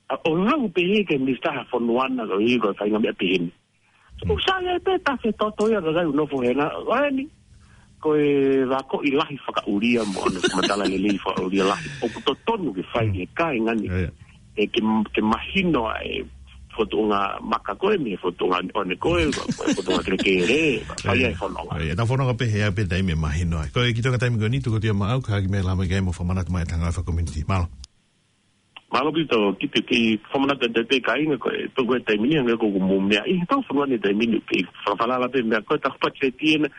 ʻa, ʻo lau pehē ki he Minisitā ha fonua na ko ē ko e fainga meʻa pehē ni. Mm. ʻOku sai ai pē tafe toto ia ka kai ʻoku nofo hena, ʻo eni. ko e vakoʻi lahi fakaʻulia mo ʻene fakamatala lelei fakaʻulia lahi. ʻOku totonu ke fai ʻe he kāinga ni. Ia, ia. ʻE ke, ke mahino ʻa e fotunga maka ko ē, mei he fotunga ʻone ko ē, ko e fotunga kelekele, fai ai fononga. Ia, ia, tau fononga pē he ʻa pē taimi ʻe mahino ai. Ko e kiʻi toenga taimi ko eni, tuku atu ia maʻau, ka ki mei lama ke mo fakamanatu mai ʻetau ngāue fakakomiunitī. Mālō. Mālō ʻaupito, kiʻi, kiʻi fakamanatu atu pē kāinga ko e, tuku e taimi ni, hangē ko ʻeku mou meaʻi, tau fononga he taimi ni, kiʻi fakafalala pē meʻa ko e taku patiseti ena,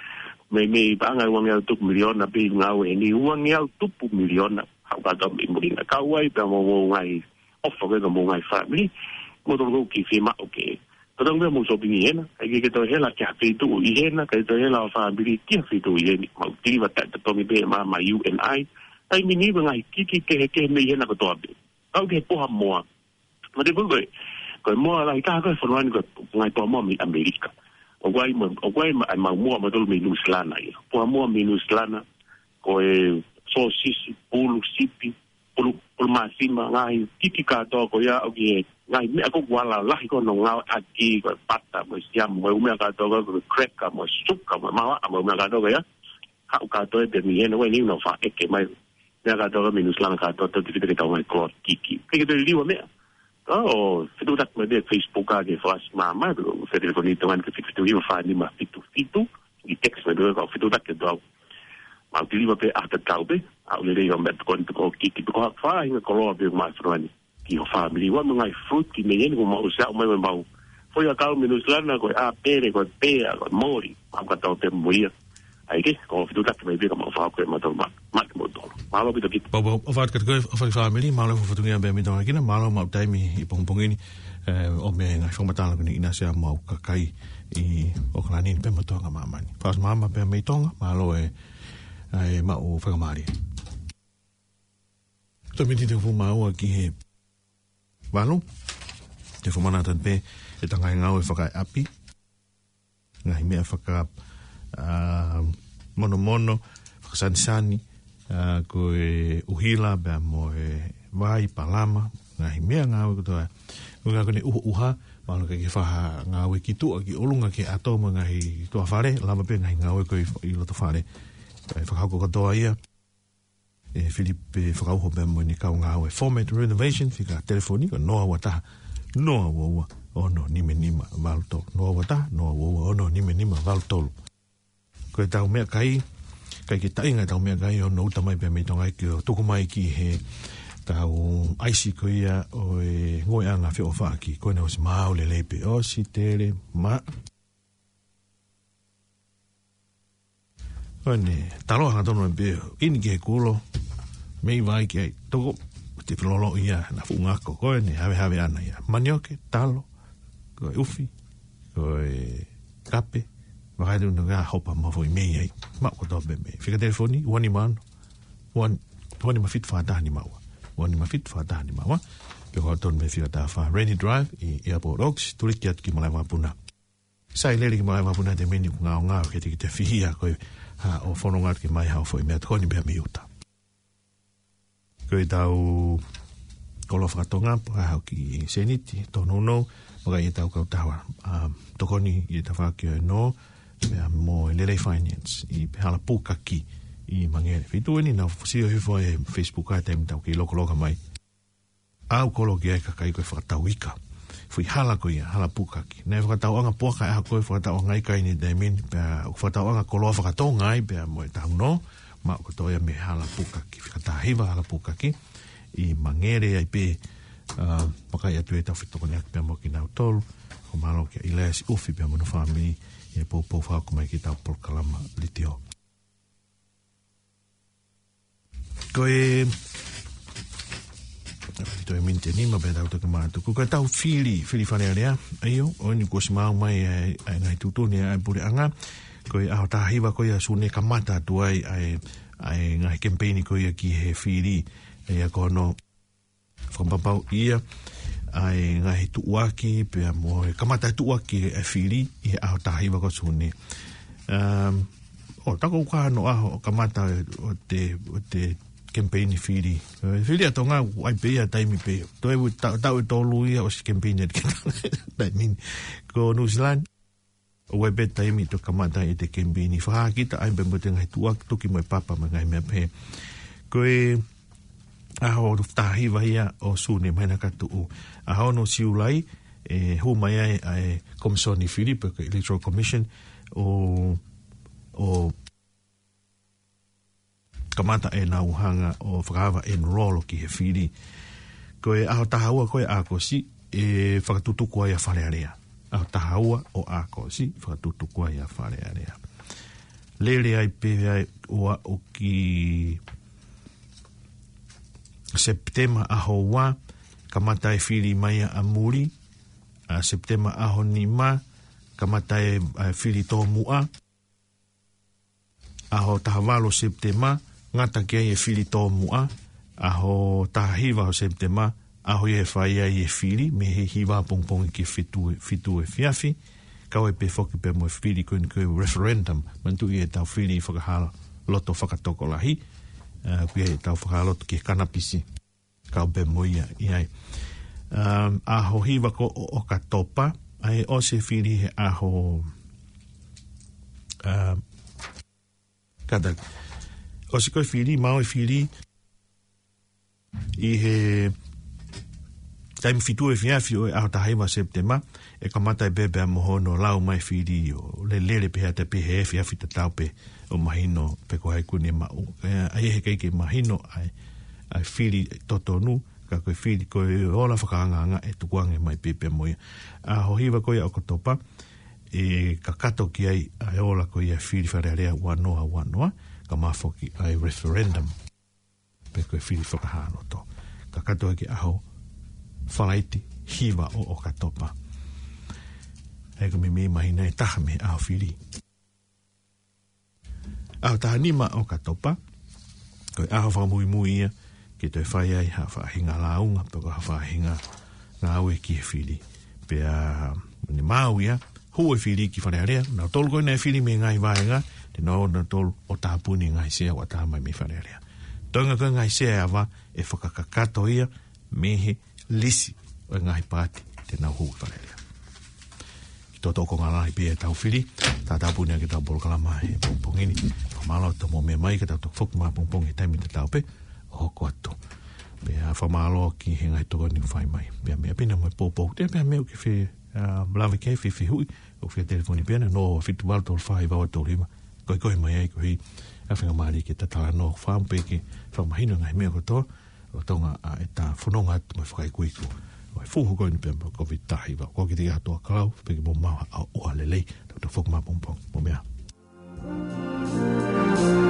mei, mei paʻanga ʻe uangeau tupu miliona, pē ngāue eni, uangeau tupu miliona, haʻu kātoa mei muli na. Kau ai pē mo, mo e ngaahi ʻofa ko ē ki homou ngaahi fāmili, mo tolu kou kiʻi fiemaʻu ke tau tau mei mou sōpingi ʻi hena, ʻai ke ke toe hela ki ha feituʻu ʻi hena, ke toe hela ho fāmili ki ha feituʻu ʻi heni, mau tiliva taʻetotongi pē maʻa e U N I, taimi ni ʻoku ngaahi kiki kehekehe mei hena kotoa pē. Kau ki he poha moa. Mo te pulu ko e, ko e moa lahi taha ko e fonua ni ko e ngaahi poha moa mei ʻAmelika. ʻOku ʻi ai mo, ʻoku ʻi ai mo, ʻa e mau moa mo tolu mei Nuʻusila na ia. Poha moa mei Nuʻusila na, ko e sōsisi, pulu sipi, pulu, pulu māsima, ngaahi kiki kātoa ko ia, ʻoku ʻi ai e ngaahi meʻa ko ē ʻoku ala lahi ko ē hono ngāueʻaki, ko e pata, mo e siamu, mo e ʻū meʻa kātoa ko ē, ko e cracker, mo e suka, mo e mahaʻa, mo e ʻū meʻa kātoa ko ia. Haʻu kātoa ē pē mei hena, ko eni ʻoku nau faʻa ʻeke mai. Meʻa kātoa ko ē mei Nuʻusila na kātoa, tau te fita ke tau mai koloa kiki. Ke ke te liliu ʻa e meʻa. ʻO, fetuʻutaki mai pē Facebook ʻa e Facebook ʻa e Fasi Māmā, pē ko e telefoni ʻi Tonga ni ko e fitu fitu hiva fā nima fitu fitu, ʻi text mai pē ko e fetuʻutaki atu au. Mau tiliva pē ʻa e tatau pē, ʻa e lelei ʻo e meʻatokoni pē ko e kiki pē ko ha faʻahinga koloa pē ʻoku maʻu ʻi fonua ni. Ki ho fāmili, ʻoua mo e ngaahi fruit ki mei heni ko mau ʻosi ʻomai mo mau. Foʻi ʻakau mei Nuʻusila na ko e ʻāpele, ko e pea, ko e moli, mau kātoa pē mo ia. ʻAi ke, ko e fetuʻutaki mai pē ka mau fakahoko ʻe mautolu ma, ma ke mautolu. Mālō ʻaupito ki. Pau, pau, ʻofa atu kiate koe, ʻofa ki he fāmili, mālō e fatongia pē mei Tonga kina, mālō maʻu taimi ʻi pongipongi ni, ē, ʻo mei he ngaahi fakamatala ko eni ʻa e siʻi mau kakai ʻi ʻAokalani pea mo Tonga māmani. Fasi Māmā pea mei Tonga, mālō e, ʻa e maʻu fakamālie. Toe miniti ʻe hongofulu mā ua ki he valu, te u fakamanatu pē ʻetau ngaahi ngāue fakaʻapi. Ngaahi meʻa faka, ā, monomono, fakasanisani, ā, ko e ʻuhila, pea mo e vai, palama, ngaahi meʻangāue kotoa. Ko e ngāue ko eni ʻuha, ʻuha, mahalo ke ke fai ha ngāue ki tuʻa, ki ʻolunga, ki he ʻato mo e ngaahi tuʻa fale, lava pē ngaahi ngāue ko ē ʻi, ʻi loto fale. ʻE fakahoko kotoa ia ʻe Filipe Fakauho pea mo ʻene kau ngāue. Format Renovation, fika telefoni ko e noa ua taha, noa ua ua, ono nima nima valu tolu. Noa ua taha, noa ua ua, ono nima nima valu tolu. Ko ʻetau meʻakai, ʻikai ke taʻinga ʻetau meʻakai ʻo nau ʻuta mai pea mei Tonga ke ʻo tuku mai ki heʻetau ʻaisi ko ia ʻo e ngoueʻanga feʻofaʻaki, ko ʻene ʻosi maau lelei pē ʻosi tele ma. Ko ʻene talo hangatonu pē, ʻi he kulo, mei vai ki ai, toko, te filolo ia, na fuʻu ngako, ko ʻene havehave ʻana ia. Manioke, talo, ko e ʻufi, ko e kape, vakai tu na ngā hopa mo e foʻi mei ai. Maʻu kotoa pē mei. Fika telefoni, ua nima ono, ua, ua nima fitu fā taha nima ua. Ua nima fitu fā taha nima ua. Pe ko e tonu mei fika taha fā Rainy Drive, ʻi Airport Oaks, tuliki atu ki malaʻe vakapuna. Sai lele ki malaʻe vakapuna he taimi ni ʻoku ngaongao ke te, ke te fihia ko e haʻo fononga atu ke ʻomai haʻo foʻi meʻatokoni pea mei ʻuta. Ko ʻetau koloa fakatonga, pea haʻu ki seniti, tōnounou, vakai ʻetau kautaha, ā, tokoni ʻi he tafaʻaki ʻo e nō, pea mo e Lelei Finance, ʻi he hala pukaki ʻi Mangere. Feituʻu eni naʻa ku sio hifo he Facebook ʻa e taimi naʻa ku kei lokoloka mai. ʻA ia ʻoku koloa ki ai e kakai ko e fakatau ika. Foʻi hala ko ia, hala pukaki. Naʻe fakatauʻanga puaka ʻa e ʻaho ko ē, fakatauʻanga ika ʻi he taimi ni, pea ʻoku fakatauʻanga koloa fakatonga ai pea mo e taunō, maʻu kotoa ia mei he hala pukaki. Fika taha hiva hala pukaki, ʻi Mangere ai pē, ā, vakai atu ʻetau fetokoniʻaki pea mo kinautolu, ʻoku mālō kia ʻIlaiasi ʻUfi pea mo hono fāmili, ʻi he poupou fakahoko mai ki heʻetau polokalama letiō. Ko e, toe miniti ʻe nima pea tau toki mātuku. Ko ʻetau fili, fili Fale Alea, ʻa ia, ʻoku ʻosi maau mai ʻa e, ʻa e ngaahi tuʻutuʻuni ʻa e puleʻanga. Ko e ʻaho taha hiva ko ia ʻo Sune kamata atu ai ʻa e, ʻa e ngaahi kemipeini ko ia ki he fili, ʻa ia ko hono fakapapauʻi ʻa e ngaahi tuʻuaki, pea mo e kamata e tuʻuaki ʻa e fili ʻi he ʻaho taha hiva ko Sune. Um, ʻo, tā ko e ʻuhinga hono ʻaho ʻo kamata ʻo e, ʻo e, ʻo e kemipeini fili. ʻE, fili ʻa Tonga, ʻoku ʻi ai pē ia taimi pē. Toe u ta-, taʻu ʻe tolu ia ʻosi kemipeini atu ki he taimi ni. Ko Nuʻusila ni, ʻOku ʻi ai pē taimi ʻe toe kamata ʻi he kemipeni fakahā kita ai pē mo e ngaahi tuʻa tuki mo e papa mo e ngaahi meʻa pehē. Ko e ʻaho taha hiva ia ʻo Sune mei he ʻaho ni ka tuʻu. ʻAho ono Siulai, ʻe hū mai ai ʻa e Komisoni Fili pe ko e Electoral Commission ʻo, ʻo kamata ʻenau hanga ʻo fakaava enroll ki he fili. Ko e ʻaho taha ua ko ē ʻo ʻAokosi ʻe fakatutuku ai ʻa Fale Alea. ʻAho taha ua ʻo ʻAokosi fakatutuku ai ʻa Fale Alea. Lele ai pē ai ʻo aʻu ki Sepitema ʻaho ua, kamata e fili mai ʻa muli, ʻa Sepitema ʻaho nima, kamata e, ʻa e fili tōmuʻa, ʻaho taha valu Sepitema, ngata ki ai e fili tōmuʻa, ʻaho taha hiva ʻo Sepitema, ʻaho ia ʻe fai ai e fili, mei he hiva pongipongi ki he fitu, fitu efiafi, kau ai pē foki pē mo e fili ko eni ko e referendum, manatuʻi ʻetau fili fakahā loto fakatokolahi, ʻa, ko ia ʻetau fakahā loto ki he kanapisi. Kau pē mo ia ʻi ai. Um, ʻaho hiva ko ē ʻo ʻOkatopa, ʻa ia ʻosi e fili he ʻaho, um, kātaki. ʻOsi ko ē fili, maʻu e fili, ʻi he taimi fitu efiafi ʻo e ʻaho taha hiva Sepitema, ʻe kamata ai pē pea mo hono lau mai fili ʻo lele pē ʻa e taimi pē he efiafi tatau pē ʻo mahino pe ko hai kuo ne maʻu. ʻA ia he ʻikai ke mahino ʻa e, ʻa e fili totonu, ka ko e fili ko e ola fakaangaanga ʻe tukuange mai pē pea mo ia. ʻAho hiva ko ia ʻo ʻOkatopa, ʻe kakato ki ai ʻa e ola ko ia fili Fale Alea ua noa ua noa, kae ʻumaʻā foki ʻa e referendum pe ko e fili fakahā loto. Kakato ai ki he ʻaho Falaite hiva ʻo ʻOkatopa. ʻA ia ko e meimei māhina ʻe taha mei he ʻaho fili. ʻAho taha nima ʻo ʻOkatopa, ko e ʻaho fakamuimui ia ke toe fai ai ha faʻahinga lāunga, pe ko ha faʻahinga ngāue ki he fili. Pea, ne maʻu ia, hū e fili ki Fale Alea, nautolu ko ē naʻe fili mei he ngaahi vahenga, te nau, nautolu ʻo tāpuni e ngaahi sea ʻoku ʻatā mai mei Fale Alea. Toenga ko ē ngaahi sea ʻe ava, ʻe fakakakato ia mei he lisi ʻo e ngaahi paati te nau hū ki Fale Alea. Ki he toʻotoʻo konga lahi pē ʻetau fili, tātāpuni ʻaki ʻetau polokalama he pongipongi ni. Fakamālō atu hoʻomou meʻa mai, ka tau toki foki mai he pongipongi he taimi tatau pē ʻo hoko atu. Pea fakamālō ki he ngaahi tokoni kuo fai mai. Pea meʻa pē ena mo e poupou. Te pea meʻa ʻoku ke fie, ʻa, lave ki ai, fie fehuʻi, ʻoku fie telefoni pē ena, noa ua fitu valu tolu fā hiva ua tolu hiva. Ko e kole mai ai koeʻuhi ʻa e faingamālie ke ta talanoa fakaʻamu pē ke fakamahino e ngaahi meʻa kotoa, ʻo Tonga ʻa ʻeta fononga atu mo e fakaikuiku ʻo e fuhu ko eni pea mo e Kōviti taha hiva. Ko kitautolu ʻa Toa Kalau, pea ke mou maʻu ha ʻaho lelei, tau toe foki mai he pongipongi. Mou meʻa ā.